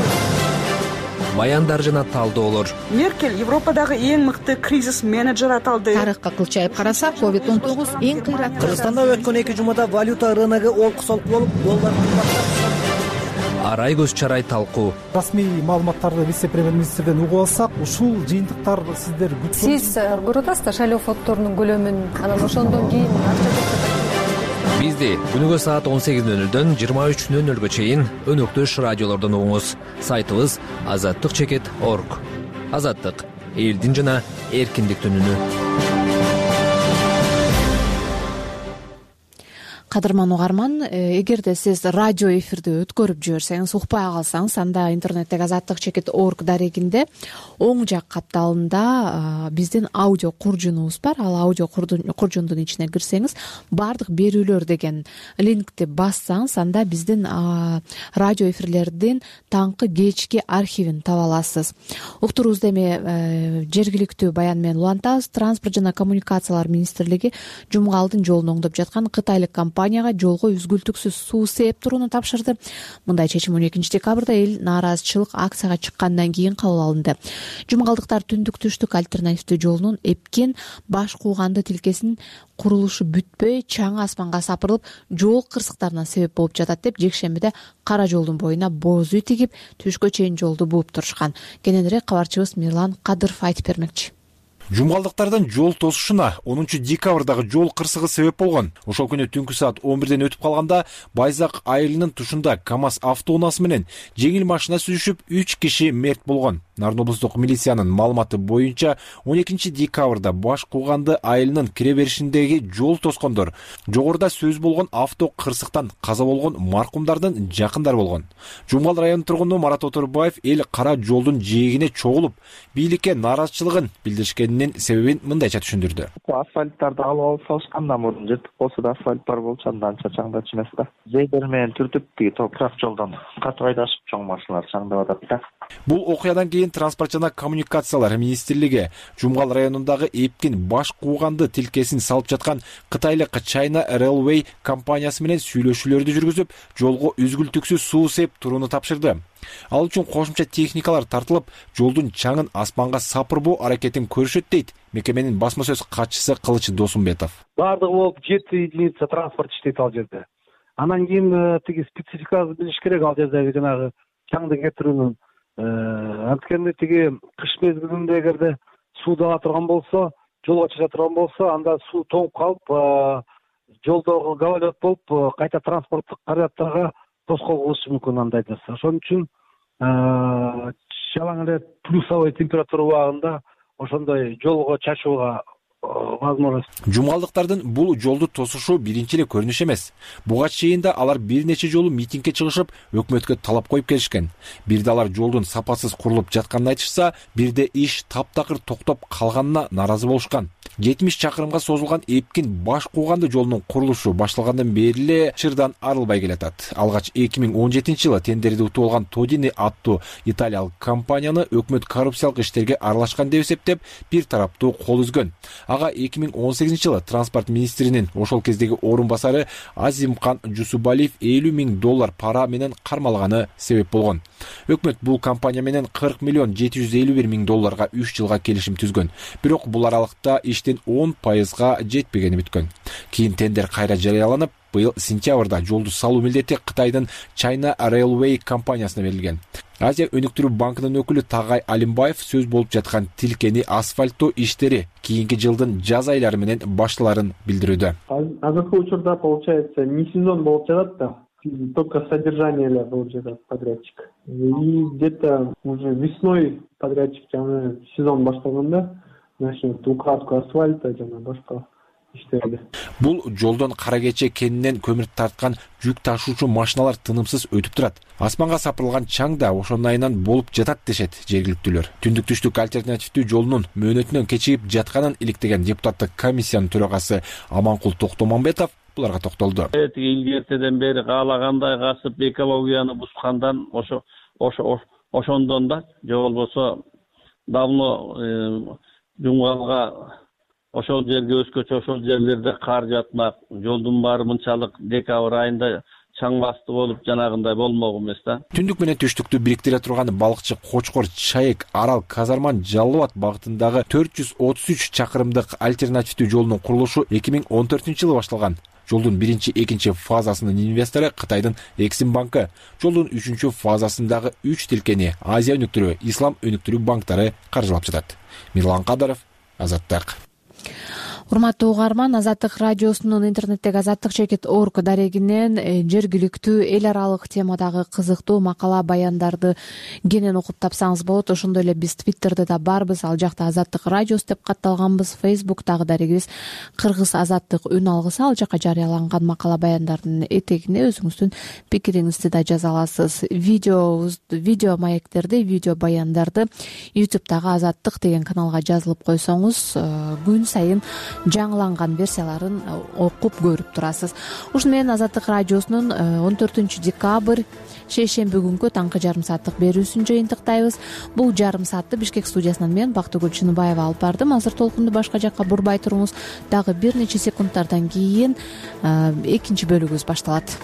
баяндар жана талдоолор. Меркель Европадагы эң мыкты кризис менеджер аталды. Тарыхка кылчайып карасак, ковид он тогуз эң кыйраттуу. Кыргызстанда өткөн эки жумада валюта рыногу олку-солку болуп, доллар кымбаттап. Арай көз чарай талкуу. Расмий маалыматтарды вице-премьер-министрден угуп алсак, ушул жыйынтыктар сиздер күткөн. Сиз көрүп атасыздар шайлоо фонддорунун көлөмүн, анан ошондон кийин Бизди күнүгө саат он сегиз нөл нөлдөн жыйырма үч нөл нөлгө чейин өнөктөш радиолордон угуңуз. Сайтыбыз азаттык чекит точка орг. Азаттык — элдин жана эркиндиктин үнү. кадырман угарман, эгерде сиз радио эфирди өткөрүп жиберсеңиз, укпай калсаңыз, анда интернеттеги азаттык чекит точка орг дарегинде оң жак капталында биздин аудио куржунубуз бар. Ал аудио куржундун ичине кирсеңиз, баардык берүүлөр деген линкти бассаңыз, анда биздин радио эфирлердин таңкы кечки архивин таба аласыз. Уктуруубузду эми жергиликтүү баян менен улантабыз. Транспорт жана коммуникациялар министрлиги Жумгалдын жолун оңдоп жаткан кытайлык компанияга жолго үзгүлтүксүз суу сээп турууну тапшырды. Мындай чечим он экинчи декабрда эл нааразычылык акцияга чыккандан кийин кабыл алынды. Жумгалдыктар түндүк түштүк альтернативдүү жолунун эпкен баш кууганды тилкесинин курулушу бүтпөй чаң асманга сапырылып, жол кырсыктарына себеп болуп жатат деп жекшембиде кара жолдун боюна боз үй тигип, түшкө чейин жолду бууп турушкан. Кененирээк кабарчыбыз Мирлан Кадыров айтып бермекчи. Жумгалдыктардын жол тосушуна онунчу декабрдагы жол кырсыгы себеп болгон. Ошол күнү түнкү саат он бирден өтүп калганда Байзак айылынын тушунда КамАЗ автоунаасы менен жеңил машина сүзүшүп үч киши мерт болгон. Нарын облустук милициянын маалыматы боюнча он экинчи декабрда Баш Кууганды айылынын кире беришиндеги жол тоскондор жогоруда сөз болгон авто кырсыктан каза болгон маркумдардын жакындары болгон. Жумгал районунун тургуну Марат Оторбаев эл кара жолдун жээгине чогулуп, бийликке нааразычылыгын билдиришкенинин себебин мындайча түшүндүрдү. Асфальттарды алып алып салышкандан мурун жыртык болсо да асфальт бар болчу, анча чаңдачу эмес да. Зейдер менен түртүп тиги топурак жолдон катып айдашып чоң машиналар чаңдап атат да. Бул окуядан кийин Транспорт жана коммуникациялар министрлиги Жумгал районундагы эпкин Баш Кууганды тилкесин салып жаткан кытайлык China Railway компаниясы менен сүйлөшүүлөрдү жүргүзүп, жолго үзгүлтүксүз суу сээп турууну тапшырды. Ал үчүн кошумча техникалар тартылып, жолдун чаңын асманга сапырбоо аракетин көрүшөт дейт мекеменин басма сөз катчысы Кылыч Досумбетов. Баардыгы болуп жети единица транспорт иштейт ал жерде. Анан кийин тиги спецификасы билиш керек ал жердеги жанагы чаңды кетирүүнүн. Анткени тиги кыш мезгилинде эгерде суу ала турган болсо, жолго чыга турган болсо, анда суу тоңуп калып, жолдогу гололед болуп, кайта транспорттук каражаттарга тоскоол болушу мүмкүн андайда. Ошон үчүн жалаң эле плюсовой температура убагында ошондой жолго чачууга возможность. Жумгалдыктардын бул жолду тосушу биринчи эле көрүнүш эмес. Буга чейин да алар бир нече жолу митингге чыгышып, өкмөткө талап коюп келишкен. Бирде алар жолдун сапасыз курулуп жатканын айтышса, бирде иш таптакыр токтоп калганына нааразы болушкан. жетимиш чакырымга созулган эпкин Баш Кууганды жолунун курулушу башталгандан бери эле чырдан арылбай келатат. Алгач эки миң он жетинчи жылы тендерди утуп алган Тодини аттуу италиялык компанияны өкмөт коррупциялык иштерге аралашкан деп эсептеп, бир тараптуу кол үзгөн. Ага эки миң он сегизинчи жылы транспорт министринин ошол кездеги орун басары Азимкан Жусубалиев элүү миң доллар пара менен кармалганы себеп болгон. Өкмөт бул компания менен кырк миллион жети жүз элүү бир миң долларга үч жылга келишим түзгөн. Бирок бул аралыкта иштин он пайызга жетпегени бүткөн. Кийин тендер кайра жарыяланып, быйыл сентябрда жолду салуу милдети Кытайдын China Railway компаниясына берилген. Азия өнүктүрүү банкынын өкүлү Тагай Алимбаев сөз болуп жаткан тилкени асфальттоо иштери кийинки жылдын жаз айлары менен башталарын билдирүүдө. Азыркы учурда получается не сезон болуп жатат да, только содержание эле болуп жатат подрядчик. И где-то уже весной подрядчик жана сезон башталганда начнет укладку асфальта жана башка иштерди. Бул жолдон кара кече кенинен көмүр тарткан жүк ташуучу машиналар тынымсыз өтүп турат. Асманга сапырылган чаң да ошонун айынан болуп жатат дешет жергиликтүүлөр. Түндүк түштүк альтернативдүү жолунун мөөнөтүнөн кечигип жатканын иликтеген депутаттык комиссиянын төрагасы Аманкул Токтомамбетов буларга токтолду. Тиги илгертеден бери каалагандай касып экологияны бузгандан ошо ошо ошондон да же болбосо давно Жумгалга ошол жерге өзгөчө ошол жерлерде кар жатмак, жолдун баары мынчалык декабрь айында чаң басты болуп жанагындай болмок эмес да. Түндүк менен түштүктү бириктире турган балыкчы Кочкор Чайык Арал Казарман Жалал Абад багытындагы төрт жүз отуз үч чакырымдык альтернативдүү жолунун курулушу эки миң он төртүнчү жылы башталган. Жолдун биринчи, экинчи фазасынын инвестору Кытайдын Эксим банкы, жолдун үчүнчү фазасындагы үч тилкени Азия өнүктүрүү, Ислам өнүктүрүү банктары каржылап жатат. Мирлан Кадыров, Азаттык. урматтуу угарман, Азаттык радиосунун интернеттеги азаттык чекит точка орг дарегинен жергиликтүү эл аралык темадагы кызыктуу макала баяндарды кенен окуп тапсаңыз болот. Ошондой эле биз Твиттерде да барбыз, ал жакта Азаттык радиос деп катталганбыз. Фейсбуктагы дарегибиз Кыргыз азаттык үн алгысы, ал жака жарыяланган макала баяндардын этегине өзүңүздүн пикириңизди да жаза аласыз. Видео видео маектерди, видео баяндарды ютубтагы Азаттык деген каналга жазылып койсоңуз, күн сайын жаңыланган версияларын окуп көрүп турасыз. Ушуну менен Азаттык радиосунун он төртүнчү декабрь шейшемби күнкү таңкы жарым сааттык берүүсүн жыйынтыктайбыз. Бул жарым саатты Бишкек студиясынан мен Бактыгүл Чыныбаева алып бардым. Азыр толкунду башка жакка бурбай туруңуз. Дагы бир нече секундтардан кийин экинчи бөлүгүбүз башталат.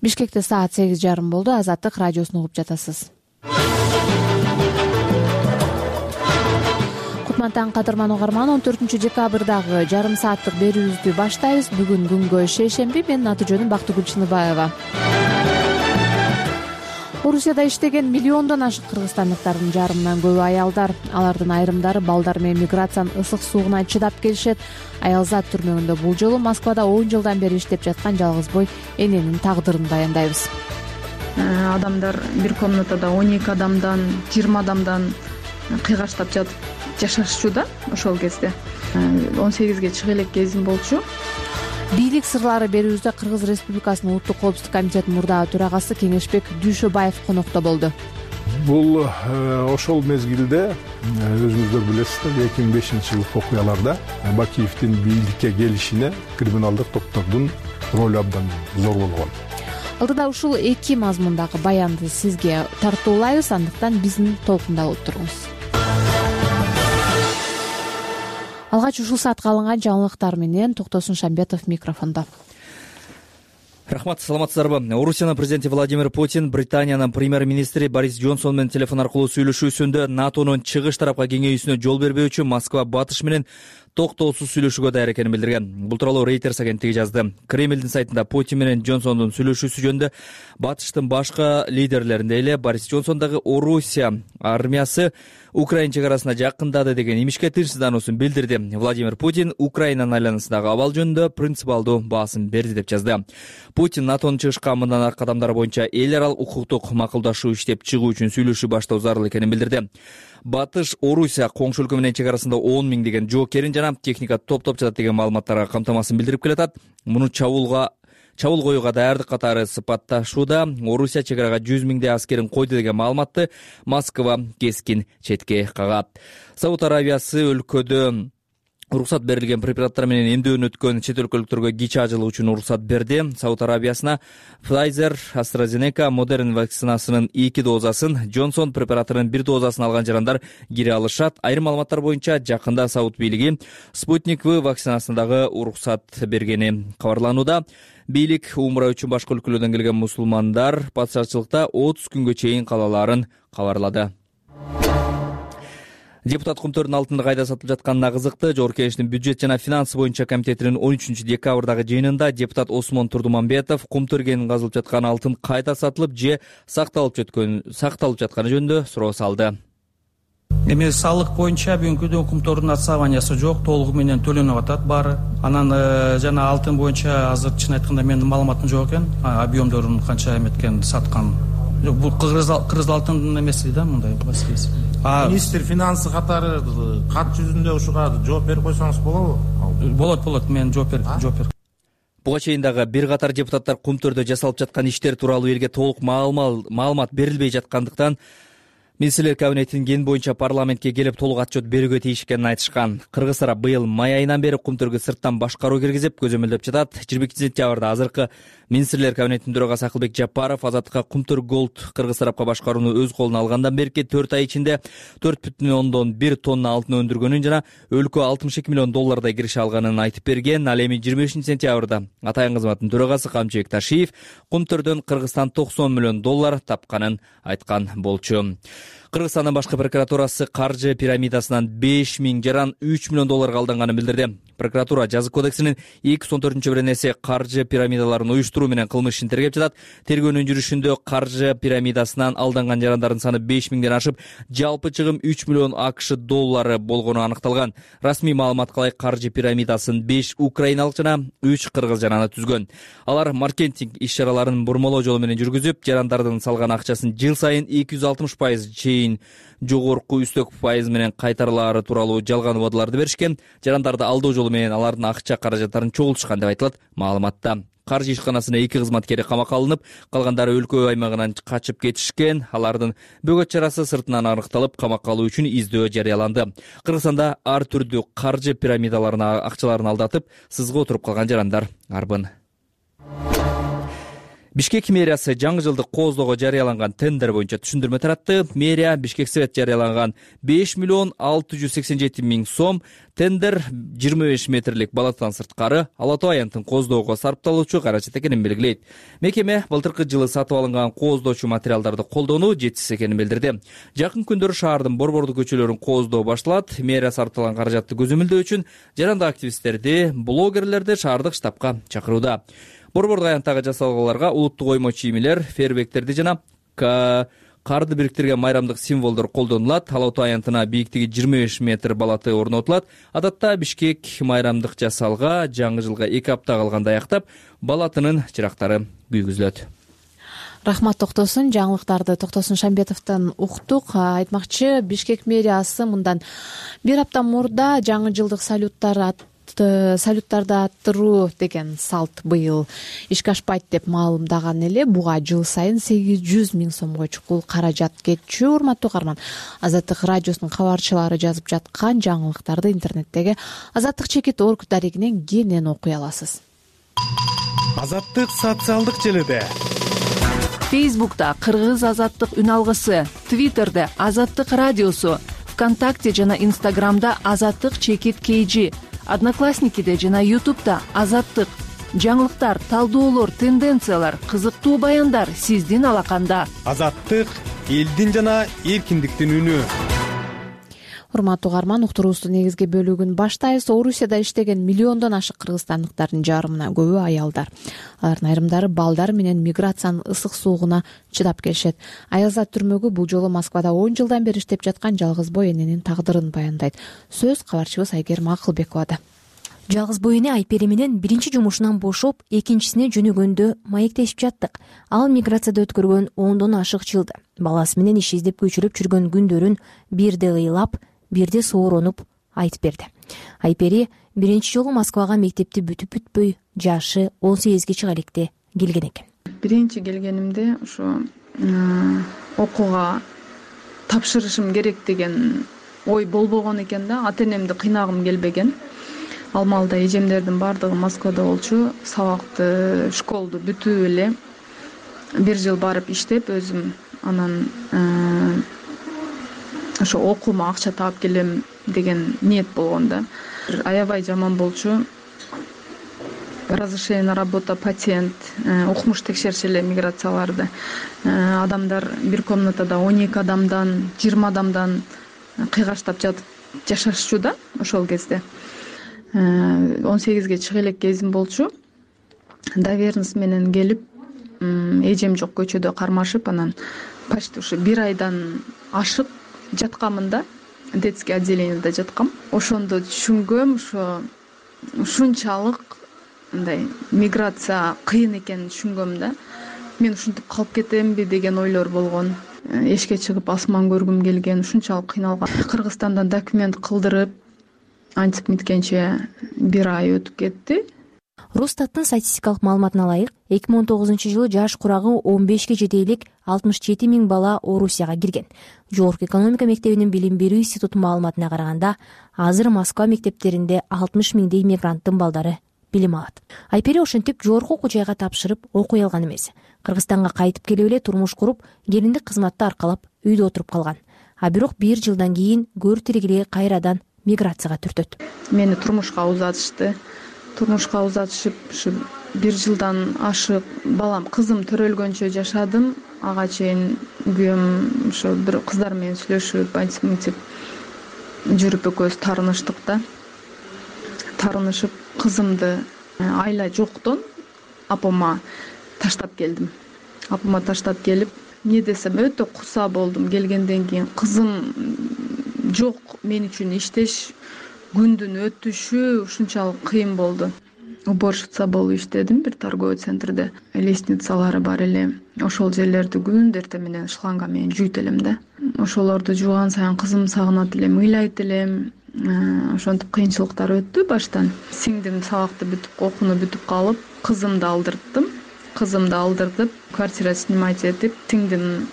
Бишкекте саат сегиз жарым болду. Азаттык радиосун угуп жатасыз. Кутман кадырман угарман, он төртүнчү декабрдагы жарым сааттык берүүбүздү баштайбыз. Бүгүн күнгө шейшемби. Менин аты жөнүм Бактыгүл Чыныбаева. Орусияда иштеген миллиондон ашык кыргызстандыктардын жарымынан көбү аялдар. Алардын айрымдары балдар менен миграциянын ысык суугуна чыдап келишет. Аялзат түрмөгүндө бул жолу Москвада он жылдан бери иштеп жаткан жалгыз бой эненин тагдырын баяндайбыз. Адамдар бир комнатада он эки адамдан, жыйырма адамдан кыйгаштап жатып жашашчу да ошол кезде. он сегизге чыга элек кезим болчу. Бийлик сырлары берүүбүздө Кыргыз Республикасынын Улуттук коопсуздук комитетинин мурдагы төрагасы Кеңешбек Дүйшөбаев конокто болду. Бул ошол мезгилде өзүңүздөр билесиздер, эки миң бешинчи жылкы окуяларда Бакиевдин бийликке келишине криминалдык топтордун ролу абдан зор болгон. Алдыда ушул эки мазмундагы баянды сизге тартуулайбыз, андыктан биздин толкунда болуп туруңуз. Алгач ушул саатка алынган жаңылыктар менен Токтосун Шамбетов микрофондо. Рахмат, саламатсыздарбы? Орусиянын президенти Владимир Путин Британиянын премьер-министри Борис Джонсон менен телефон аркылуу сүйлөшүүсүндө НАТОнун чыгыш тарапка кеңейүүсүнө жол бербөөчү Москва батыш менен токтоосуз сүйлөшүүгө даяр экенин билдирген. Бул тууралуу Reuters агенттиги жазды. Кремлдин сайтында Путин менен Джонсондун сүйлөшүүсү жөнүндө батыштын башка лидерлеринде эле Борис Джонсон дагы Орусия армиясы Украина чегарасына жакындады деген имишке тынчсыздануусун билдирди. Владимир Путин Украинанын айланасындагы абал жөнүндө принципиалдуу баасын берди деп жазды. Путин НАТОнун чыгышка мындан аркы кадамдары боюнча эл аралык укуктук макулдашуу иштеп чыгуу үчүн сүйлөшүү баштоо зарыл экенин билдирди. Батыш Орусия коңшу өлкө менен чегарасында он миң деген жоокерин жана техника топтоп жатат деген маалыматтарга камтамасын билдирип келатат. Муну чабуулга чабуул коюуга даярдык катары сыпатташууда. Орусия чегарага жүз миңдей аскерин койду деген маалыматты Москва кескин четке кагат. Сауд Арабиясы өлкөдө уруксат берилген препараттар менен эмдөөдөн өткөн чет өлкөлүктөргө кичи ажылуу үчүн уруксат берди. Сауд Арабиясына Pfizer, AstraZeneca, Modern вакцинасынын эки дозасын, Johnson препаратынын бир дозасын алган жарандар кире алышат. Айрым маалыматтар боюнча жакында Сауд бийлиги Спутник В вакцинасына дагы уруксат бергени кабарланууда. Бийлик умра үчүн башка өлкөлөрдөн келген мусулмандар патшачылыкта отуз күнгө чейин калаларын кабарлады. Депутат кумтөрдүн алтынды кайда сатылып жатканына кызыкты. Жогорку Кеңештин бюджет жана финансы боюнча комитетинин он үчүнчү декабрдагы жыйынында депутат Осмон Турдуманбетов кумтөргенин казылып жаткан алтын кайда сатылып же сакталып жаткан сакталып жатканы жөнүндө суроо салды. Эми салык боюнча бүгүнкү күндө кумтөрдүн отставаниясы жок, толугу менен төлөнүп атат баары. Анан жана алтын боюнча азыр чын айтканда менин маалыматым жок экен, объемдорун канча эметкен саткан. Бул Кыргыз Кыргыз алтындын эмеси да, мындай маселеси. Министр финансы катары кат жүзүндө ушуга жооп берип койсоңуз болобу? Болот, болот, мен жооп берип, жооп берип. Буга чейин дагы бир катар депутаттар кумтөрдө жасалып жаткан иштер тууралуу элге толук маалымат берилбей жаткандыктан Министрлер кабинетинин ген боюнча парламентке келип толук отчет берүүгө тийиш экенин айтышкан. Кыргыз тарап быйыл май айынан бери кумтөргө сырттан башкаруу киргизип көзөмөлдөп жатат. жыйырма экинчи сентябрда азыркы Министрлер кабинетинин төрагасы Акылбек Жапаров Азаттыкка Кумтөр Голд Кыргыз тарапка башкарууну өз колуна алгандан берки төрт ай ичинде төрт бүтүн ондон бир тонна алтын өндүргөнүн жана өлкө алтымыш эки миллион доллардай киреше алганын айтып берген. Ал эми жыйырма бешинчи сентябрда Атайын кызматтын төрагасы Камчыбек Ташиев Кумтөрдөн Кыргызстан токсон миллион доллар тапканын айткан болчу. Кыргызстандын башкы прокуратурасы каржы пирамидасынан беш миң жаран үч миллион долларга алданганын билдирди. Прокуратура жазык кодексинин эки жүз он төртүнчү беренеси каржы пирамидаларын уюштуруу менен кылмыш ишин тергеп жатат. Тергөөнүн жүрүшүндө каржы пирамидасынан алданган жарандардын саны беш миңден ашып, жалпы чыгым үч миллион акш доллары болгону аныкталган. Расмий маалыматка ылайык каржы пирамидасын беш украиналык жана үч кыргыз жараны түзгөн. Алар маркетинг иш-чараларын бурмалоо жолу менен жүргүзүп, жарандардын салган акчасын жыл сайын эки жүз алтымыш пайыз чейин жогорку үстөк пайыз менен кайтарылаары тууралуу жалган убадаларды беришкен. Жарандарды алдоо жолу менен алардын акча каражаттарын чогултушкан деп айтылат маалыматта. Каржы ишканасынын эки кызматкери камакка алынып, калгандары өлкө аймагынан качып кетишкен. Алардын бөгөт чарасы сыртынан аныкталып, камакка алуу үчүн издөө жарыяланды. Кыргызстанда ар түрдүү каржы пирамидаларына акчаларын алдатып, сызга отуруп калган жарандар арбын. Бишкек мэриясы жаңы жылдык кооздоого жарыяланган тендер боюнча түшүндүрмө таратты. Мэрия Бишкек Совет жарыяланган беш миллион алты жүз сексен жети миң сом тендер жыйырма беш метрлик балаттан сырткары Ала Тоо аянтын кооздоого сарпталуучу каражат экенин белгилейт. Мекеме былтыркы жылы сатып алынган кооздоочу материалдарды колдонуу жетишсиз экенин билдирди. Жакын күндөрү шаардын борбордуу көчөлөрүн кооздоо башталат. Мэрия сарпталган каражатты көзөмөлдөө үчүн жарандык активисттерди, блогерлерди шаардык штабка чакырууда. Борбордук аянттагы жасалгаларга улуттук оймо чийимилер, фейерверктерди жана карды бириктирген майрамдык символдор колдонулат. Ала Тоо аянтына бийиктиги жыйырма беш метр балаты орнотулат. Адатта Бишкек майрамдык жасалга жаңы жылга эки апта калганда аяктап, балатынын чырактары күйгүзүлөт. Рахмат Токтосун. Жаңылыктарды Токтосун Шамбетовдон уктук. Айтмакчы, Бишкек мэриясы мындан бир апта мурда жаңы жылдык салюттар салюттарды аттыруу деген салт быйыл ишке ашпайт деп маалымдаган эле. Буга жыл сайын сегиз жүз миң сомго чукул каражат кетчү. Урматтуу угарман, Азаттык радиосунун кабарчылары жазып жаткан жаңылыктарды интернеттеги азаттык чекит орг дарегинен кенен окуй аласыз. Азаттык социалдык желиде. Фейсбукта Кыргыз азаттык үн алгысы, Твиттерде Азаттык радиосу, ВКонтакте жана Инстаграмда Азаттык чекит кейжи, Одноклассникиде жана Ютубта Азаттык. Жаңылыктар, талдоолор, тенденциялар, кызыктуу баяндар сиздин алаканда. Азаттык элдин жана эркиндиктин үнү. Урматтуу угарман, уктуруубуздун негизги бөлүгүн баштайбыз. Орусияда иштеген миллиондон ашык кыргызстандыктардын жарымына көбү аялдар. Алардын айрымдары балдар менен миграциянын ысык суугуна чыдап келишет. Аялзат түрмөгү бул жолу Москвада он жылдан бери иштеп жаткан жалгыз бой эненин тагдырын баяндайт. Сөз кабарчыбыз Айгерим Акылбековада. Жалгыз бой эне Айпери менен биринчи жумушунан бошоп, экинчисине жөнөгөндө маектешип жаттык. Ал миграцияда өткөргөн ондон ашык жылды. Баласы менен иш издеп көчүрүп жүргөн күндөрүн бирде ыйлап, бирде сооронуп айтып берди. Айпери биринчи жолу Москвага мектепти бүтүп бүтпөй, жашы он сегизге чыга электе келген экен. Биринчи келгенимде ошо окууга тапшырышым керек деген ой болбогон экен да. Ата энемди кыйнагым келбеген. Ал маалда эжемдердин баардыгы Москвада болчу. Сабакты, школду бүтүп эле бир жыл барып иштеп, өзүм анан ошо окуума акча таап келем деген ниет болгон да. Аябай жаман болчу. Разрешение на работа, патент, укмуш текшерчү эле миграцияларды. Адамдар бир комнатада он эки адамдан, жыйырма адамдан кыйгаштап жатып жашашчу да ошол кезде. он сегизге чыга элек кезим болчу. Доверенность менен келип, эжем жок көчөдө кармашып, анан почти ушу бир айдан ашык жаткамын да, детский отделениеде жаткам. Ошондо түшүнгөм, ошо ушунчалык мындай миграция кыйын экенин түшүнгөм да. Мен ушинтип калып кетемби деген ойлор болгон. Эшикке чыгып асман көргүм келген, ушунчалык кыйналган. Кыргызстандан документ кылдырып, антип миткенче бир ай өтүп кетти. Росстаттын статистикалык маалыматына ылайык, эки миң он тогузунчу жылы жаш курагы он бешке жете элек алтымыш жети миң бала Орусияга кирген. Жогорку экономика мектебинин билим берүү институтунун маалыматына караганда, азыр Москва мектептеринде алтымыш миңдей мигранттын балдары билим алат. Айпери ошентип жогорку окуу жайга тапшырып окуй алган эмес. Кыргызстанга кайтып келип эле турмуш куруп, келиндик кызматты аркалап үйдө отуруп калган. А бирок бир жылдан кийин көр тиригири кайрадан миграцияга түртөт. Мени турмушка узатышты. Турмушка узатышып, ушу бир жылдан ашык балам кызым төрөлгөнчө жашадым. Ага чейин күйөөм ошо бир кыздар менен сүйлөшүп айтып мынтип жүрүп экөөбүз таарыныштык да. Таарынышып кызымды айла жоктон апама таштап келдим. Апама таштап келип, эмне десем өтө куса болдум. Келгенден кийин кызым жок, мен үчүн иштеш, күндүн өтүшү ушунчалык кыйын болду. Уборщица болуп иштедим бир торговый центрде. Лестницалары бар эле. Ошол жерлерди күндү эртең менен шланга менен жуйт элем да. Ошолорду жууган сайын кызым сагынат элем, ыйлайт элем. Ошентип кыйынчылыктар өттү баштан. Сиңдим сабакты бүтүп, окууну бүтүп калып, кызымды алдырттым. Кызымды алдыртып, квартира снимать этип, сиңдим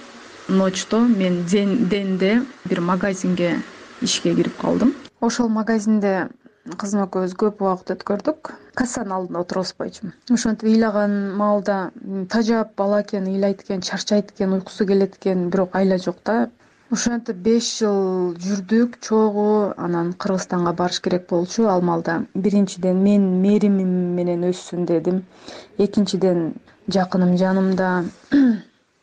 ночто мен денде бир магазинге ишке кирип калдым. Ошол магазинде кызым экөөбүз көп убакыт өткөрдүк. Кассанын алдында отурбайчумун. Ошентип ыйлаган маалда тажап бала экен, ыйлайт экен, чарчайт экен, уйкусу келет экен, бирок айла жок да. Ошентип беш жыл жүрдүк чогуу. Анан Кыргызстанга барыш керек болчу. Ал маалда биринчиден мен мэримим менен өссүн дедим. Экинчиден жакыным жанымда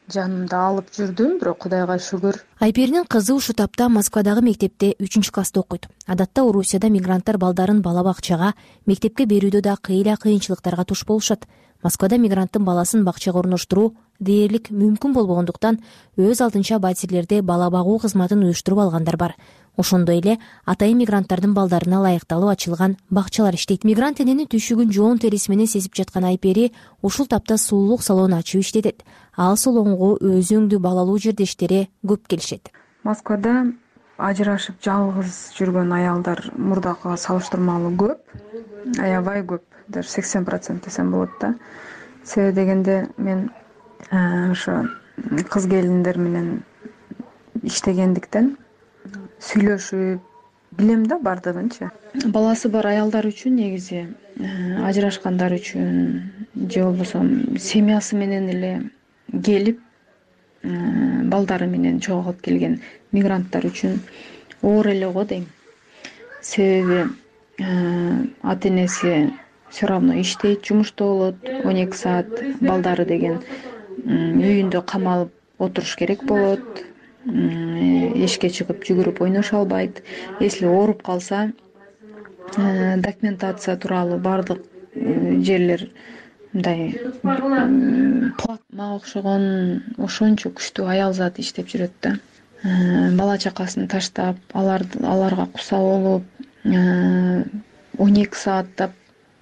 жанымда алып жүрдүм, бирок Кудайга шүгүр. Айперинин кызы ушул тапта Москвадагы мектепте үчүнчү класста окуйт. Адатта Орусияда мигранттар балдарын бала бакчага, мектепке берүүдө да кыйла кыйынчылыктарга туш болушат. Москвада мигранттын баласын бакчага орноштуруу дээрлик мүмкүн болбогондуктан өз алдынча батирлерде бала багуу кызматын уюштуруп алгандар бар. Ошондой эле атайын мигранттардын балдарына ылайыкталып ачылган бакчалар иштейт. Мигрант эненин түйшүгүн жоон териси менен сезип жаткан Айпери ушул тапта сулуулук салон ачып иштетет. Ал салонго өзү өңдүү балалуу жердештери көп келишет. Москвада ажырашып жалгыз жүргөн аялдар мурдакыга салыштырмалуу көп, аябай көп, даже сексен процент десем болот да. Себеби дегенде мен ошо кыз келиндер менен иштегендиктен сүйлөшүп билем да бардыгынчы. Баласы бар аялдар үчүн негизи ажырашкандар үчүн же болбосо семьясы менен эле келип балдары менен чогулуп келген мигранттар үчүн оор эле го дейм. Себеби ата энеси все равно иштейт, жумушта болот, он эки саат, балдары деген үйүндө камалып отуруш керек болот. Эшикке чыгып жүгүрүп ойношо албайт. Если ооруп калса, документация тууралуу бардык жерлер мындай плат. Мага окшогон ошончо күчтүү аял зат иштеп жүрөт да. Бала чакасын таштап, аларга куса болуп, он эки сааттап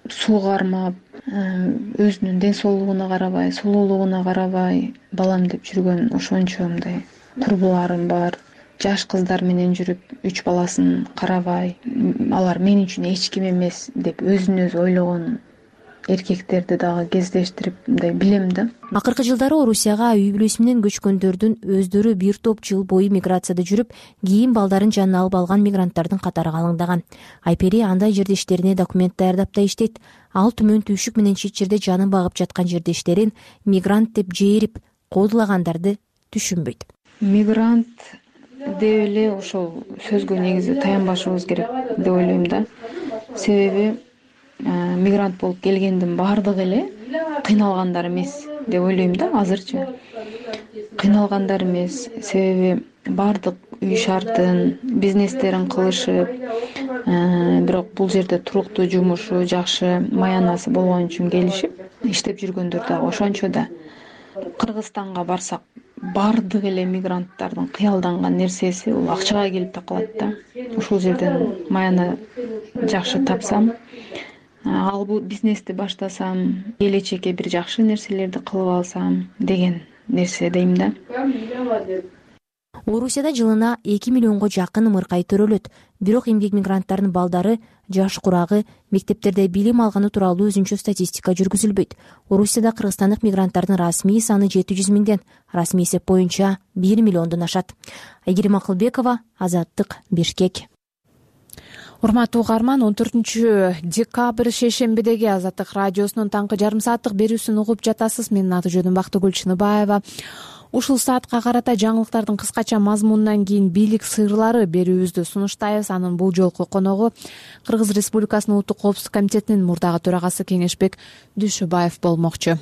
суу кармап, өзүнүн ден соолугуна карабай, сулуулугуна карабай балам деп жүргөн ошончо мындай курбуларым бар. Жаш кыздар менен жүрүп, үч баласын карабай, алар мен үчүн эч ким эмес деп өзүн өзү ойлогон эркектерди дагы кездештирип мындай билем да. Акыркы жылдары Орусияга үй бүлөсү менен көчкөндөрдүн өздөрү бир топ жыл бою миграцияда жүрүп, кийин балдарын жанына алып алган мигранттардын катары калыңдаган. Айпери андай жердештерине документ даярдап да иштейт. Ал түмөн түйшүк менен чет жерде жанын багып жаткан жердештерин мигрант деп жээрип, кодулагандарды түшүнбөйт. Мигрант деп эле ошол сөзгө негизи таянбашыбыз керек деп ойлойм да. Себеби мигрант болуп келгендин баардыгы эле кыйналгандар эмес деп ойлойм да азырчы. Кыйналгандар эмес, себеби баардык үй шартын, бизнестерин кылышып, бирок бул жерде туруктуу жумушу, жакшы маянасы болгон үчүн келишип иштеп жүргөндөр дагы ошончо да. Кыргызстанга барсак, баардык эле мигранттардын кыялданган нерсеси бул акчага келип такалат да. Ушул жерден маяны жакшы тапсам, ал бул бизнести баштасам, келечекке бир жакшы нерселерди кылып алсам деген нерсе дейм да. Орусияда жылына эки миллионго жакын ымыркай төрөлөт. Бирок эмгек мигранттарынын балдары, жаш курагы, мектептерде билим алганы тууралуу өзүнчө статистика жүргүзүлбөйт. Орусияда кыргызстандык мигранттардын расмий саны жети жүз миңден, расмий эсеп боюнча бир миллиондон ашат. Айгерим Акылбекова, Азаттык, Бишкек. Урматтуу угарман, он төртүнчү декабрь шейшембидеги Азаттык радиосунун таңкы жарым сааттык берүүсүн угуп жатасыз. Менин аты жөнүм Бактыгүл Чыныбаева. Ушул саатка карата жаңылыктардын кыскача мазмунунан кийин бийлик сырлары берүүбүздү сунуштайбыз. Анын бул жолку коногу Кыргыз Республикасынын Улуттук коопсуздук комитетинин мурдагы төрагасы Кеңешбек Дүйшөбаев болмокчу.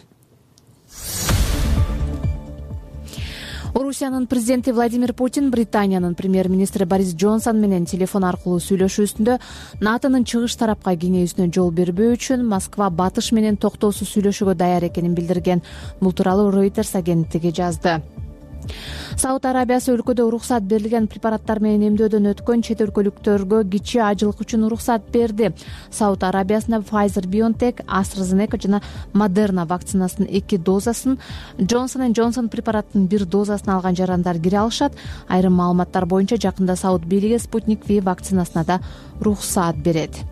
Орусиянын президенти Владимир Путин Британиянын премьер-министри Борис Джонсон менен телефон аркылуу сүйлөшүүсүндө НАТОнун чыгыш тарапка кеңейүүсүнө жол бербөө үчүн Москва батыш менен токтоосуз сүйлөшүүгө даяр экенин билдирген. Бул тууралуу Reuters агенттиги жазды. Сауд Арабиясы өлкөдө уруксат берилген препараттар менен эмдөөдөн өткөн чет өлкөлүктөргө кичи ажылык үчүн уруксат берди. Сауд Арабиясында Pfizer-BioNTech, AstraZeneca жана Moderna вакцинасынын эки дозасын, Johnson энд Johnson препараттын бир дозасын алган жарандар кире алышат. Айрым маалыматтар боюнча жакында Сауд бийлиги Sputnik V вакцинасына да уруксат берет.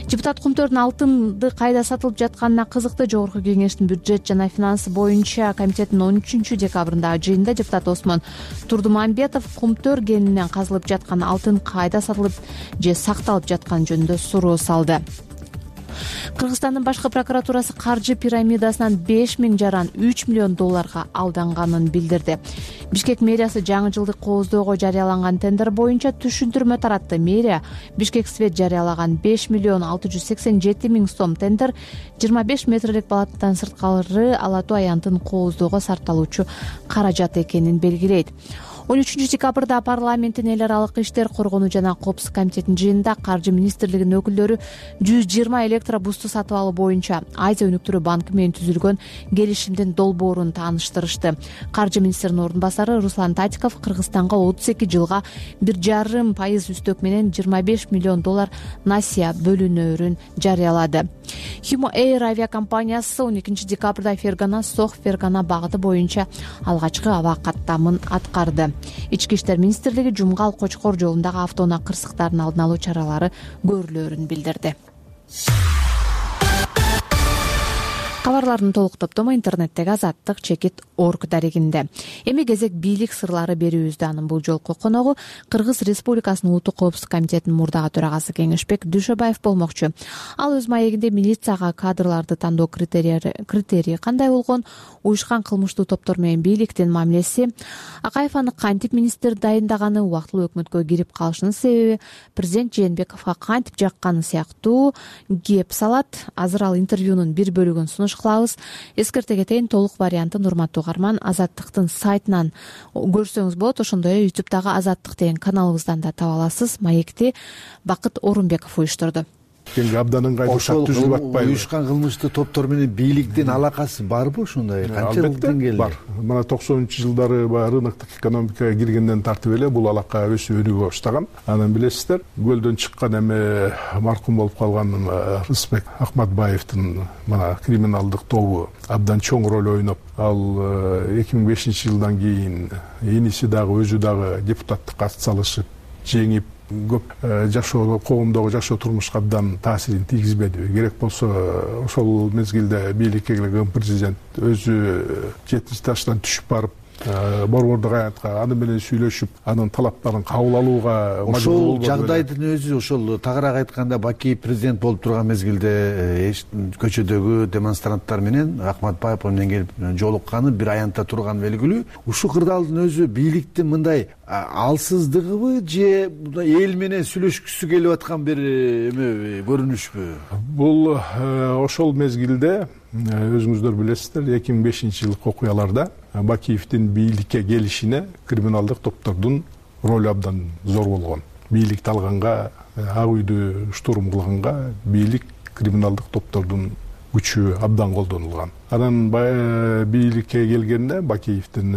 Депутат Кумтөрдүн алтынды кайда сатылып жатканына кызыкты. Жогорку кеңештин бюджет жана финансы боюнча комитетинин он үчүнчү декабрындагы жыйынында депутат Осмон Турдумамбетов Кумтөр кенинен казылып жаткан алтын кайда сатылып же сакталып жатканы жөнүндө суроо салды. Кыргызстандын башкы прокуратурасы каржы пирамидасынан беш миң жаран үч миллион долларга алданганын билдирди. Бишкек мэриясы жаңы жылдык кооздоого жарыяланган тендер боюнча түшүндүрмө таратты. Мэрия Бишкек Свет жарыялаган беш миллион алты жүз сексен жети миң сом тендер жыйырма беш метрлик балаттан сырткары Ала Тоо аянтын кооздоого сарпталуучу каражат экенин белгилейт. он үчүнчү декабрда парламенттин эл аралык иштер, коргонуу жана коопсуздук комитетинин жыйынында каржы министрлигинин өкүлдөрү жүз жыйырма электробусту сатып алуу боюнча Азия өнүктүрүү банкы менен түзүлгөн келишимдин долбоорун тааныштырышты. Каржы министринин ордун басары Руслан Татиков Кыргызстанга отуз эки жылга бир жарым пайыз үстөк менен жыйырма беш миллион доллар насыя бөлүнөөрүн жарыялады. Humo Air авиакомпаниясы он экинчи декабрда Фергана Сох Фергана багыты боюнча алгачкы аба каттамын аткарды. Ички иштер министрлиги Жумгал Кочкор жолундагы автоунаа кырсыктарын алдын алуу чаралары көрүлөөрүн билдирди. Кабарлардын толук топтому интернеттеги азаттык чекит точка орг дарегинде. Эми кезек бийлик сырлары берүүбүздө. Анын бул жолку коногу Кыргыз Республикасынын Улуттук коопсуздук комитетинин мурдагы төрагасы Кеңешбек Дүйшөбаев болмокчу. Ал өз маегинде милицияга кадрларды тандоо критерии кандай болгон, уюшкан кылмыштуу топтор менен бийликтин мамилеси, Акаев аны кантип министр дайындаганы, убактылуу өкмөткө кирип калышынын себеби, президент Жээнбековго кантип жакканы сыяктуу кеп салат. Азыр ал интервьюнун бир бөлүгүн сунуш кылабыз. Эскерте кетейин, толук вариантын урматтуу угарман Азаттыктын сайтынан көрсөңүз болот. Ошондой эле ютубтагы Азаттык деген каналыбыздан да таба аласыз. Маекти Бакыт Орунбеков уюштурду. Абдан ыңгайлуу ошол уюшкан кылмыштуу топтор менен бийликтин алакасы барбы ушундай? Канча деңгээлде бар? Мына токсонунчу жылдары рыноктук экономикага киргенден тартып эле бул алака өсүп өнүгө баштаган. Анан билесиздер, көлдөн чыккан эми маркум болуп калган Рысбек Акматбаевдин мына криминалдык тобу абдан чоң роль ойноп, ал эки миң бешинчи жылдан кийин иниси дагы өзү дагы депутаттыкка ат салышып, жеңип, көп жашоо, коомдогу жашоо турмушка абдан таасирин тийгизбеди. Керек болсо ошол мезгилде бийликке келген президент өзү жетинчи таштан түшүп барып, борбордук аянтка аны менен сүйлөшүп, анын талаптарын кабыл алууга мажбур болду. Ошол жагдайдын өзү, ошол тагыраак айтканда, Бакиев президент болуп турган мезгилде көчөдөгү демонстранттар менен Акматбаев менен келип жолукканы, бир аянтта турган белгилүү. Ушул кырдаалдын өзү бийликтин мындай алсыздыгыбы же эл менен сүйлөшкүсү келип аткан бир эме көрүнүшпү? Бул ошол мезгилде өзүңүздөр билесиздер, эки миң бешинчи жылкы окуяларда Бакиевдин бийликке келишине криминалдык топтордун ролу абдан зор болгон. Бийликти алганга, Ак үйдү штурм кылганга бийлик криминалдык топтордун күчү абдан колдонулган. Анан бийликке келгенде Бакиевдин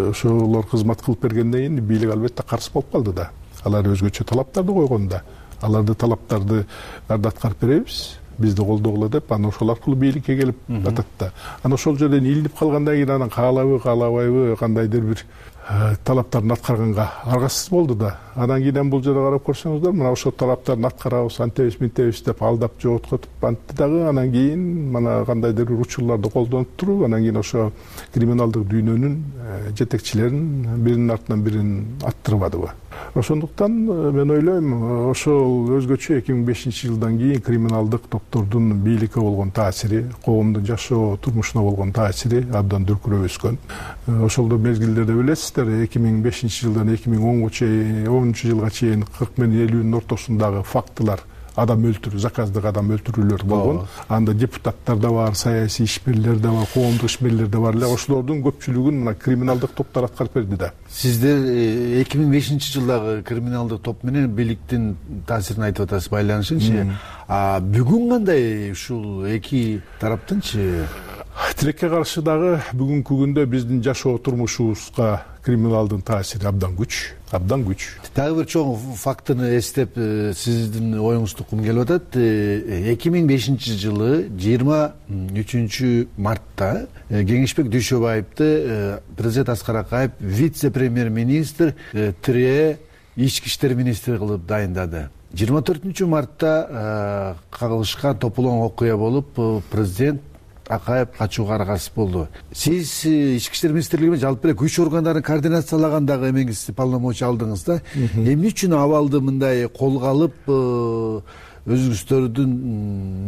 ошолор кызмат кылып бергенден кийин бийлик албетте каршы болуп калды да. Алар өзгөчө талаптарды койгонда, аларды талаптарды аткарып беребиз, бизди колдогула деп, анан ошол аркылуу бийликке келип атат да. Анан ошол жерден илинип калгандан кийин анан каалабы, каалабайбы, кандайдыр бир талаптарын аткарганга аргасыз болду да. Анан кийин бул жерге карап көрсөңүздөр, мына ошол талаптарын аткарабыз, антебиз, мынтебиз деп алдап жоготкотуп антты дагы. Анан кийин мына кандайдыр бир учурларды колдонуп туруп, анан кийин ошо криминалдык дүйнөнүн жетекчилерин биринин артынан бирин аттырбадыбы. Ошондуктан мен ойлойм, ошол өзгөчө эки миң бешинчи жылдан кийин криминалдык топтордун бийликке болгон таасири, коомдун жашоо турмушуна болгон таасири абдан дүркүрөп өскөн. Ошолдо мезгилдерде билесиздер, эки миң бешинчи жылдан эки миң онунчу жылга чейин кырк менен элүүнүн ортосундагы фактылар, адам өлтүрүү, заказдык адам өлтүрүүлөр болгон. Анда депутаттар да бар, саясий ишмерлер да бар, коомдук ишмерлер да бар эле. Ошолордун көпчүлүгүн мына криминалдык топтор аткарып берди да. Сиздер эки миң бешинчи жылдагы криминалдык топ менен бийликтин таасирин айтып атасыз, байланышынчы. А бүгүн кандай ушул эки тараптынчы? Тилекке каршы дагы бүгүнкү күндө биздин жашоо турмушубузга криминалдын таасири абдан күч, абдан күч. Дагы бир чоң фактыны эстеп, сиздин оюңузду уккум келип атат. эки миң бешинчи жылы жыйырма үчүнчү мартта Кеңешбек Дүйшөбаевди президент Аскар Акаев вице-премьер-министр тире ички иштер министри кылып дайындады. жыйырма төртүнчү мартта кагылышкан тополоң окуя болуп, президент Акаев качууга аргасыз болду. Сиз ички иштер министрлигине жалпы эле күч органдарын координациялагандагы эмеңиз, полномочия алдыңыз да. Эмне үчүн абалды мындай колго алып, өзүңүздөрдүн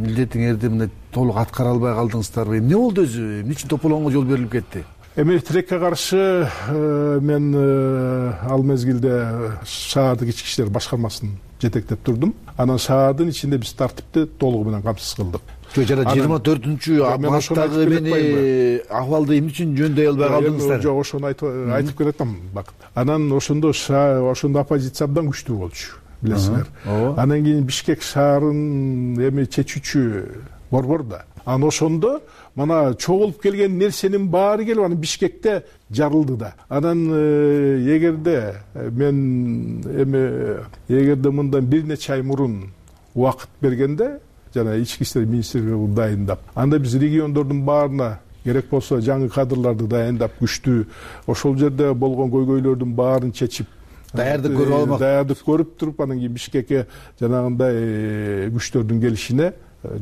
милдетиңерди мындай толук аткара албай калдыңыздарбы? Эмне болду өзү? Эмне үчүн тополоңго жол берилип кетти? Эми тилекке каршы мен ал мезгилде шаардык ички иштер башкармасын жетектеп турдум. Анан шаардын ичинде биз тартипти толугу менен камсыз кылдык. Жана жыйырма төртүнчү марттагы эмне акыбалды эмне үчүн жөндөй албай калдыңыздар? Жок, ошону айтып келатам. Анан ошондо ошондо оппозиция абдан күчтүү болчу, билесиңер. Анан кийин Бишкек шаарын эми чечүүчү борбор да. Анан ошондо мана чогулуп келген нерсенин баары келип анан Бишкекте жарылды да. Анан эгерде мен эми эгерде мындан бир нече ай мурун убакыт бергенде, жана ички иштер министрлиги дайындап, анда биз региондордун баарына керек болсо жаңы кадрларды дайындап, күчтүү ошол жерде болгон көйгөйлөрдүн баарын чечип, даярдык көрүп алмак, даярдык көрүп туруп, анан кийин Бишкекке жанагындай күчтөрдүн келишине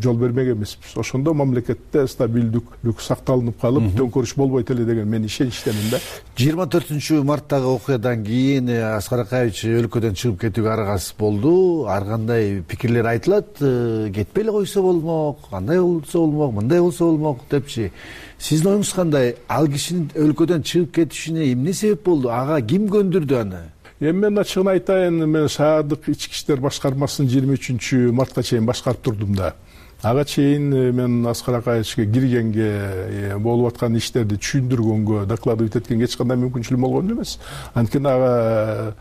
жол бермек эмеспиз. Ошондо мамлекетте стабилдүүлүк сакталынып калып, төңкөрүш болбойт эле деген мен ишеничтемин да. жыйырма төртүнчү марттагы окуядан кийин Аскар Акаевич өлкөдөн чыгып кетүүгө аргасыз болду. Ар кандай пикирлер айтылат, кетпей эле койсо болмок, кандай болсо болмок, мындай болсо болмок депчи. Сиздин оюңуз кандай? Ал кишинин өлкөдөн чыгып кетишине эмне себеп болду? Ага ким көндүрдү аны? Эми мен ачыгын айтайын, мен шаардык ички иштер башкармасын жыйырма үчүнчү мартка чейин башкарып турдум да. Ага чейин мен Аскар Акаевичке киргенге, болуп аткан иштерди түшүндүргөнгө, докладывать эткенге эч кандай мүмкүнчүлүгүм болгон эмес. Анткени ага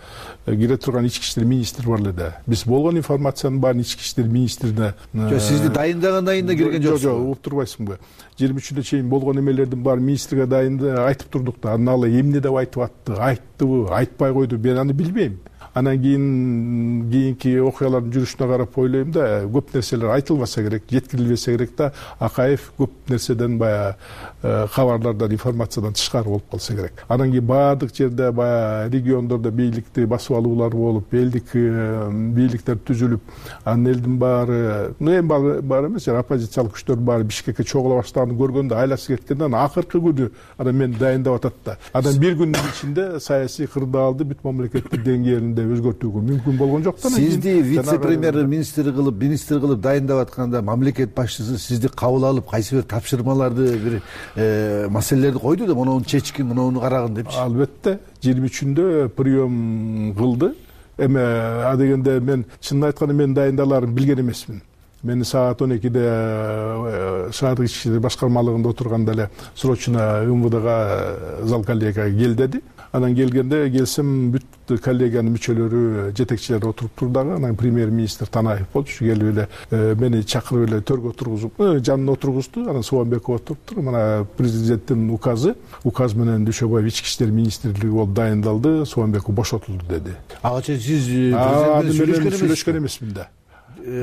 кире турган ички иштер министри бар эле да. Биз болгон информациянын баарын ички иштер министрине. Жок, сизди дайындагандан кийин да кирген жоксуз. Жок, угуп турбайсыңбы? жыйырма үчүнчү чейин болгон эмелердин баарын министрге дайында айтып турдук да. Анан ал эмне деп айтып атты, айттыбы, айтпай койду, мен аны билбейм. Анан кийин кийинки окуялардын жүрүшүнө карап ойлойм да, көп нерселер айтылбаса керек, жеткирилбесе керек да, Акаев көп нерседен баягы кабарлардан, информациядан тышкары болуп калса керек. Анан кийин баардык жерде баягы региондордо бийликти басып алуулар болуп, элдик бийликтер түзүлүп, анын элдин баары, ну эми баары эмес, оппозициялык күчтөр баары Бишкекке чогула баштаганын көргөндө айласы кеткенде, анан акыркы күнү анан мени дайындап атат да. Анан бир күндүн ичинде саясий кырдаалды бүт мамлекеттик деңгээлинде өзгөртүүгө мүмкүн болгон жок да. Сизди вице-премьер министр кылып, министр кылып дайындап атканда мамлекет башчысы сизди кабыл алып, кайсы бир тапшырмаларды, бир маселелерди койду да, муну чечкин, муну карагын депчи. Албетте, жыйырма үчүндө прием кылды. Эми а дегенде мен чынын айтканда мен дайындаларын билген эмесмин. Мени саат он экиде шаардык ички иштер башкармалыгында отурганда эле срочно МВДга зал коллегияга кел деди. Анан келгенде келсем бүт коллегиянын мүчөлөрү, жетекчилери отуруп турдагы. Анан премьер-министр Танаев болчу, келип эле мени чакырып эле төргө отургузуп, жанына отургузду. Анан Соонбеков отуруптур. Мына президенттин указы, указ менен Дүйшөбаев ички иштер министрлиги болуп дайындалды, Соонбеков бошотулду деди. Ага чейин сиз президент менен сүйлөшкөн эмесмин да.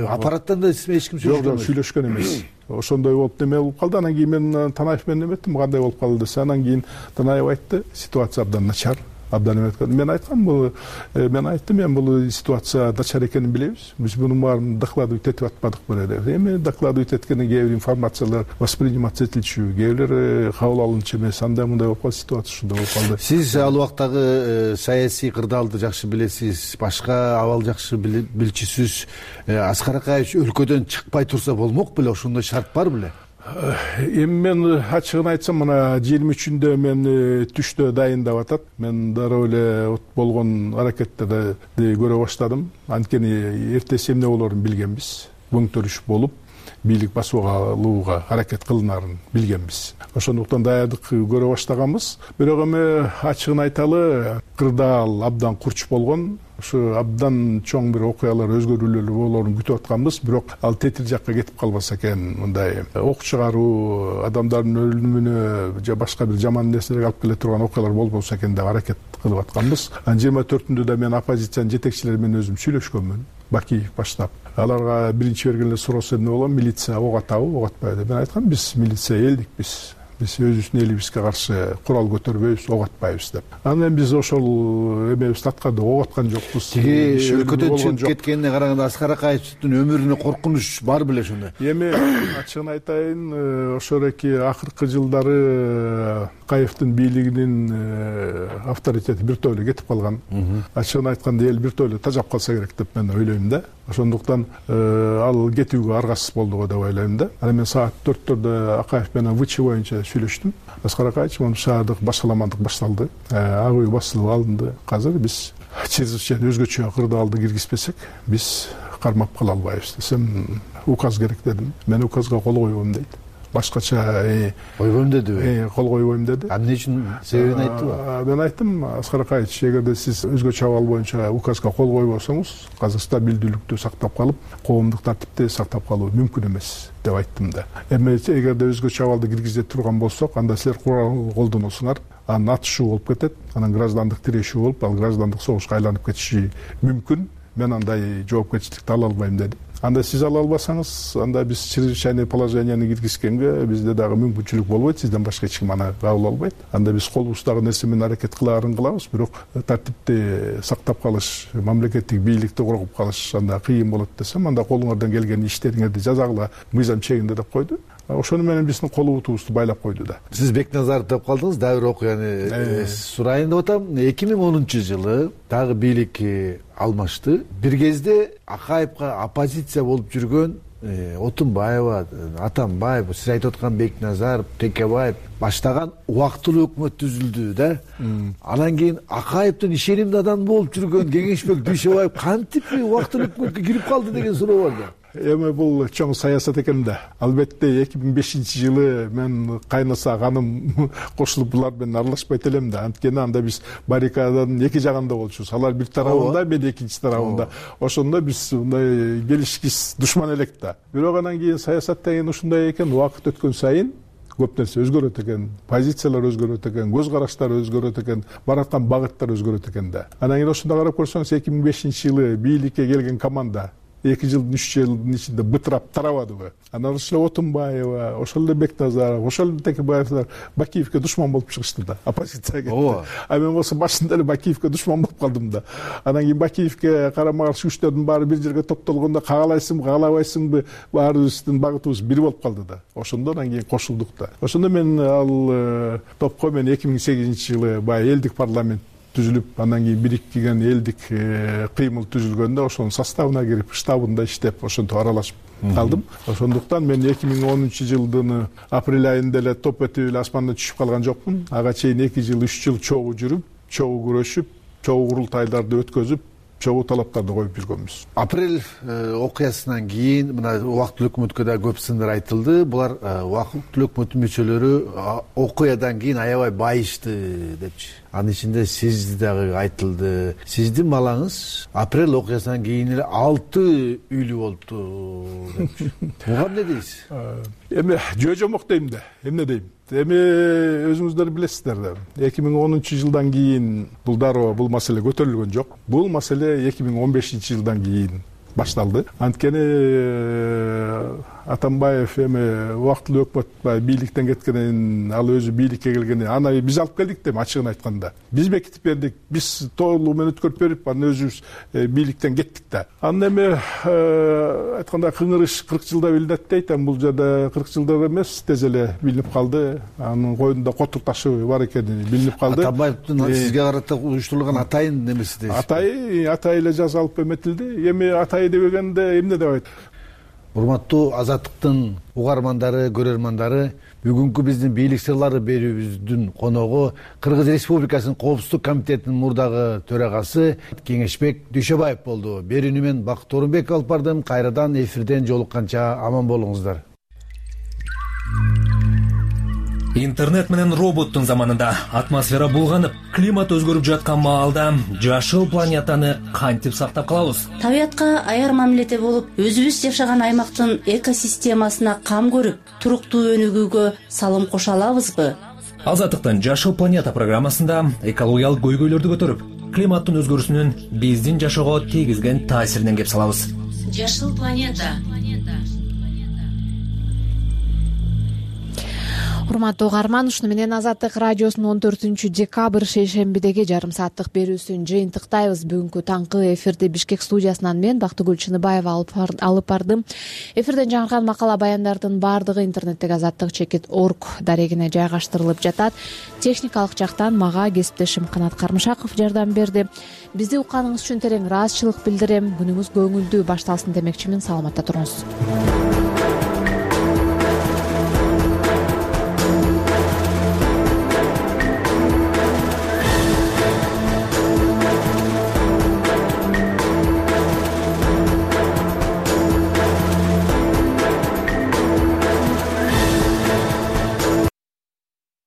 Аппараттан да эч ким сүйлөшкөн эмес. Жок, сүйлөшкөн эмес. Ошондой болуп неме болуп калды. Анан кийин мен Танаев менен эметтим, кандай болуп калды десе, анан кийин Танаев айтты, ситуация абдан начар. абдан эметкен. Мен айткам, бул мен айттым, мен бул ситуация начар экенин билебиз. Биз мунун баарын докладывать этип атпадык беле. Эми докладывать эткенде кээ бир информациялар восприниматься этилчү, кээ бирлери кабыл алынчу эмес. Андай мындай болуп калды, ситуация ушундай болуп калды. Сиз ал убактагы саясий кырдаалды жакшы билесиз, башка абал жакшы билчүсүз. Аскар Акаевич өлкөдөн чыкпай турса болмок беле, ошондой шарт бар беле? Эми мен ачыгын айтсам, мына жыйырма үчүндө мен түштө дайындап атат. Мен дароо эле болгон аракеттерди көрө баштадым. Анткени эртеси эмне болорун билгенбиз. Көңтөрүш болуп, бийлик басууга алууга аракет кылынарын билгенбиз. Ошондуктан даярдык көрө баштаганбыз. Бирок эми ачыгын айталы, кырдаал абдан курч болгон. Ушу абдан чоң бир окуялар, өзгөрүүлөр болоорун күтүп атканбыз. Бирок ал тетир жакка кетип калбаса экен, мындай ок чыгаруу, адамдардын өлүмүнө же башка бир жаман нерселерге алып келе турган окуялар болбосо экен деп аракет кылып атканбыз. Анан жыйырма төртүндө да мен оппозициянын жетекчилери менен өзүм сүйлөшкөнмүн. Бакиев баштап. Аларга биринчи бергенде суроосу эмне болот? Милиция ок атабы, ок атпайбы деп. Мен айткам, биз милиция элдикпиз. Биз өзүбүздүн элибизге каршы курал көтөрбөйбүз, ок атпайбыз деп. Анан биз ошол эмебизди аткардык, ок аткан жокпуз. Тиги өлкөдөн чыгып кеткенине караганда Аскар Акаевдин өмүрүнө коркунуч бар беле ошондо? Эми ачыгын айтайын, ошореки акыркы жылдары Акаевдин бийлигинин авторитети бир тойло кетип калган. Ачыгын айтканда эл бир тойло тажап калса керек деп мен ойлойм да. Ошондуктан ал кетүүгө аргасыз болду го деп ойлойм да. Анан мен саат төрттөрдө Акаев менен ВЧ боюнча сүйлөштүм. Аскар Акаевич, мына шаардык башаламандык башталды. Ак үй басылып алынды. Азыр биз чрезвычайно өзгөчө кырдаалды киргизбесек, биз кармап кала албайбыз десем, указ керек дедим. Мен указга кол койбойм дейт. Башкача койбойм дедиби? Кол койбойм деди. А эмне үчүн себебин айттыбы? Мен айттым, Аскар Акаевич, эгерде сиз өзгөчө абал боюнча указга кол койбосоңуз, азыр стабилдүүлүктү сактап калып, коомдук тартипти сактап калуу мүмкүн эмес деп айттым да. Эми эгерде өзгөчө абалды киргизе турган болсок, анда силер курал колдоносуңар, анан атышуу болуп кетет, анан граждандык тирешүү болуп, ал граждандык согушка айланып кетиши мүмкүн. Мен андай жоопкерчиликти ала албайм деди. Анда сиз ала албасаңыз, анда биз чрезвычайный положенияны киргизгенге бизде дагы мүмкүнчүлүк болбойт, сизден башка эч ким аны кабыл албайт. Анда биз колубуздагы нерсе менен аракет кылаарын кылабыз, бирок тартипти сактап калыш, мамлекеттик бийликти коргоп калыш анда кыйын болот десем, анда колуңардан келген иштериңерди жазагыла мыйзам чегинде деп койду. Ошону менен биздин колубутубузду байлап койду да. Сиз Бекназаров деп калдыңыз, дагы бир окуяны сурайын деп атам. эки миң онунчу жылы дагы бийлик алмашты. Бир кезде Акаевга оппозиция болуп жүргөн Отунбаева, Атамбаев, сиз айтып аткан Бекназаров, Текебаев баштаган убактылуу өкмөт түзүлдү да. Анан кийин Акаевдин ишенимдүү адам болуп жүргөн Кеңешбек Дүйшөбаев кантип убактылуу өкмөткө кирип калды деген суроо бар да. Эми бул чоң саясат экен да. Албетте эки миң бешинчи жылы мен кайнаса каным кошулуп булар менен аралашпайт элем да. Анткени анда биз баррикаданын эки жагында болчубуз. Алар бир тарабында, мен экинчи тарабында. Ошондо биз мындай келишкис душман элек да. Бирок анан кийин саясат деген ушундай экен, убакыт өткөн сайын көп нерсе өзгөрөт экен, позициялар өзгөрөт экен, көз караштар өзгөрөт экен, бараткан багыттар өзгөрөт экен да. Анан кийин ошондо карап көрсөңүз, эки миң бешинчи жылы бийликке келген команда эки жылдын үч жылдын ичинде бытырап тарабадыбы. Анан ошол эле Отунбаева, ошол эле Бекназаров, ошол эле Текебаевдер Бакиевке душман болуп чыгышты да, оппозицияга. А мен болсо башында эле Бакиевке душман болуп калдым да. Анан кийин Бакиевке карама каршы күчтөрдүн баары бир жерге топтолгондо кагалайсыңбы, кагалабайсыңбы, баарыбыздын багытыбыз бир болуп калды да. Ошондо анан кийин кошулдук да. Ошондо мен ал топко мен эки миң сегизинчи жылы баягы элдик парламент түзүлүп, андан кийин бириктиген элдик кыймыл түзүлгөндө ошонун составына кирип, штабында иштеп, ошентип аралашып калдым. Ошондуктан мен эки миң онунчу жылдын апрель айында эле топ этип эле асмандан түшүп калган жокмун. Ага чейин эки жыл, үч жыл чогуу жүрүп, чогуу күрөшүп, чогуу курултайларды өткөзүп, чогуу талаптарды коюп жүргөнбүз. Апрель окуясынан кийин мына убактылуу өкмөткө да көп сындар айтылды. Булар убактылуу өкмөттүн мүчөлөрү окуядан кийин аябай байышты депчи. Анын ичинде сиз дагы айтылды. Сиздин балаңыз апрель окуясынан кийин эле алты үйлүү болупту депчи. Буга эмне дейсиз? Эми жөө жомок дейм да. Эмне дейм? Эми өзүңүздөр билесиздер да. эки миң онунчу жылдан кийин бул дароо бул маселе көтөрүлгөн жок. Бул маселе эки миң он бешинчи жылдан кийин башталды. Анткени Атамбаев эми убактылуу өкмөт баягы бийликтен кеткенен ал өзү бийликке келгенде аны биз алып келдик дейм, ачыгын айтканда. Биз бекитип бердик, биз толугу менен өткөрүп берип, анан өзүбүз бийликтен кеттик да. Анан эми айтканда кыңырыш кырк жылда билинет дейт, бул жерде кырк жылда эмес, тез эле билинип калды. Анын койнунда котур ташы бар экени билинип калды. Атамбаевдин сизге карата уюштурулган атайын немеси дейсиз? Атай, атай эле жазалып эметилди. Эми атай дебегенде эмне деп айтат? Урматтуу Азаттыктын угармандары, көрөрмандары, бүгүнкү биздин бийлик сырлары берүүбүздүн коногу Кыргыз Республикасынын Коопсуздук комитетинин мурдагы төрагасы Кеңешбек Дүйшөбаев болду. Берүүнү мен Бакыт Орунбеков алып бардым. Кайрадан эфирден жолукканча аман болуңуздар. Интернет менен роботтун заманында атмосфера булганып, климат өзгөрүп жаткан маалда жашыл планетаны кантип сактап калабыз? Табиятка аяр мамиледе болуп, өзүбүз жашаган аймактын экосистемасына кам көрүп, туруктуу өнүгүүгө салым кошо алабызбы? Азаттыктын Жашыл планета программасында экологиялык көйгөйлөрдү көтөрүп, климаттын өзгөрүүсүнүн биздин жашоого тийгизген таасиринен кеп салабыз. Жашыл планета. Урматтуу угарман, ушуну менен Азаттык радиосунун он төртүнчү декабрь шейшембидеги жарым сааттык берүүсүн жыйынтыктайбыз. Бүгүнкү таңкы эфирди Бишкек студиясынан мен Бактыгүл Чыныбаева алып бардым. Эфирден жаңырган макала баяндардын баардыгы интернеттеги азаттык чекит орг дарегине жайгаштырылып жатат. Техникалык жактан мага кесиптешим Канат Кармышаков жардам берди. Бизди укканыңыз үчүн терең ыраазычылык билдирем. Күнүңүз көңүлдүү башталсын демекчимин. Саламатта туруңуз.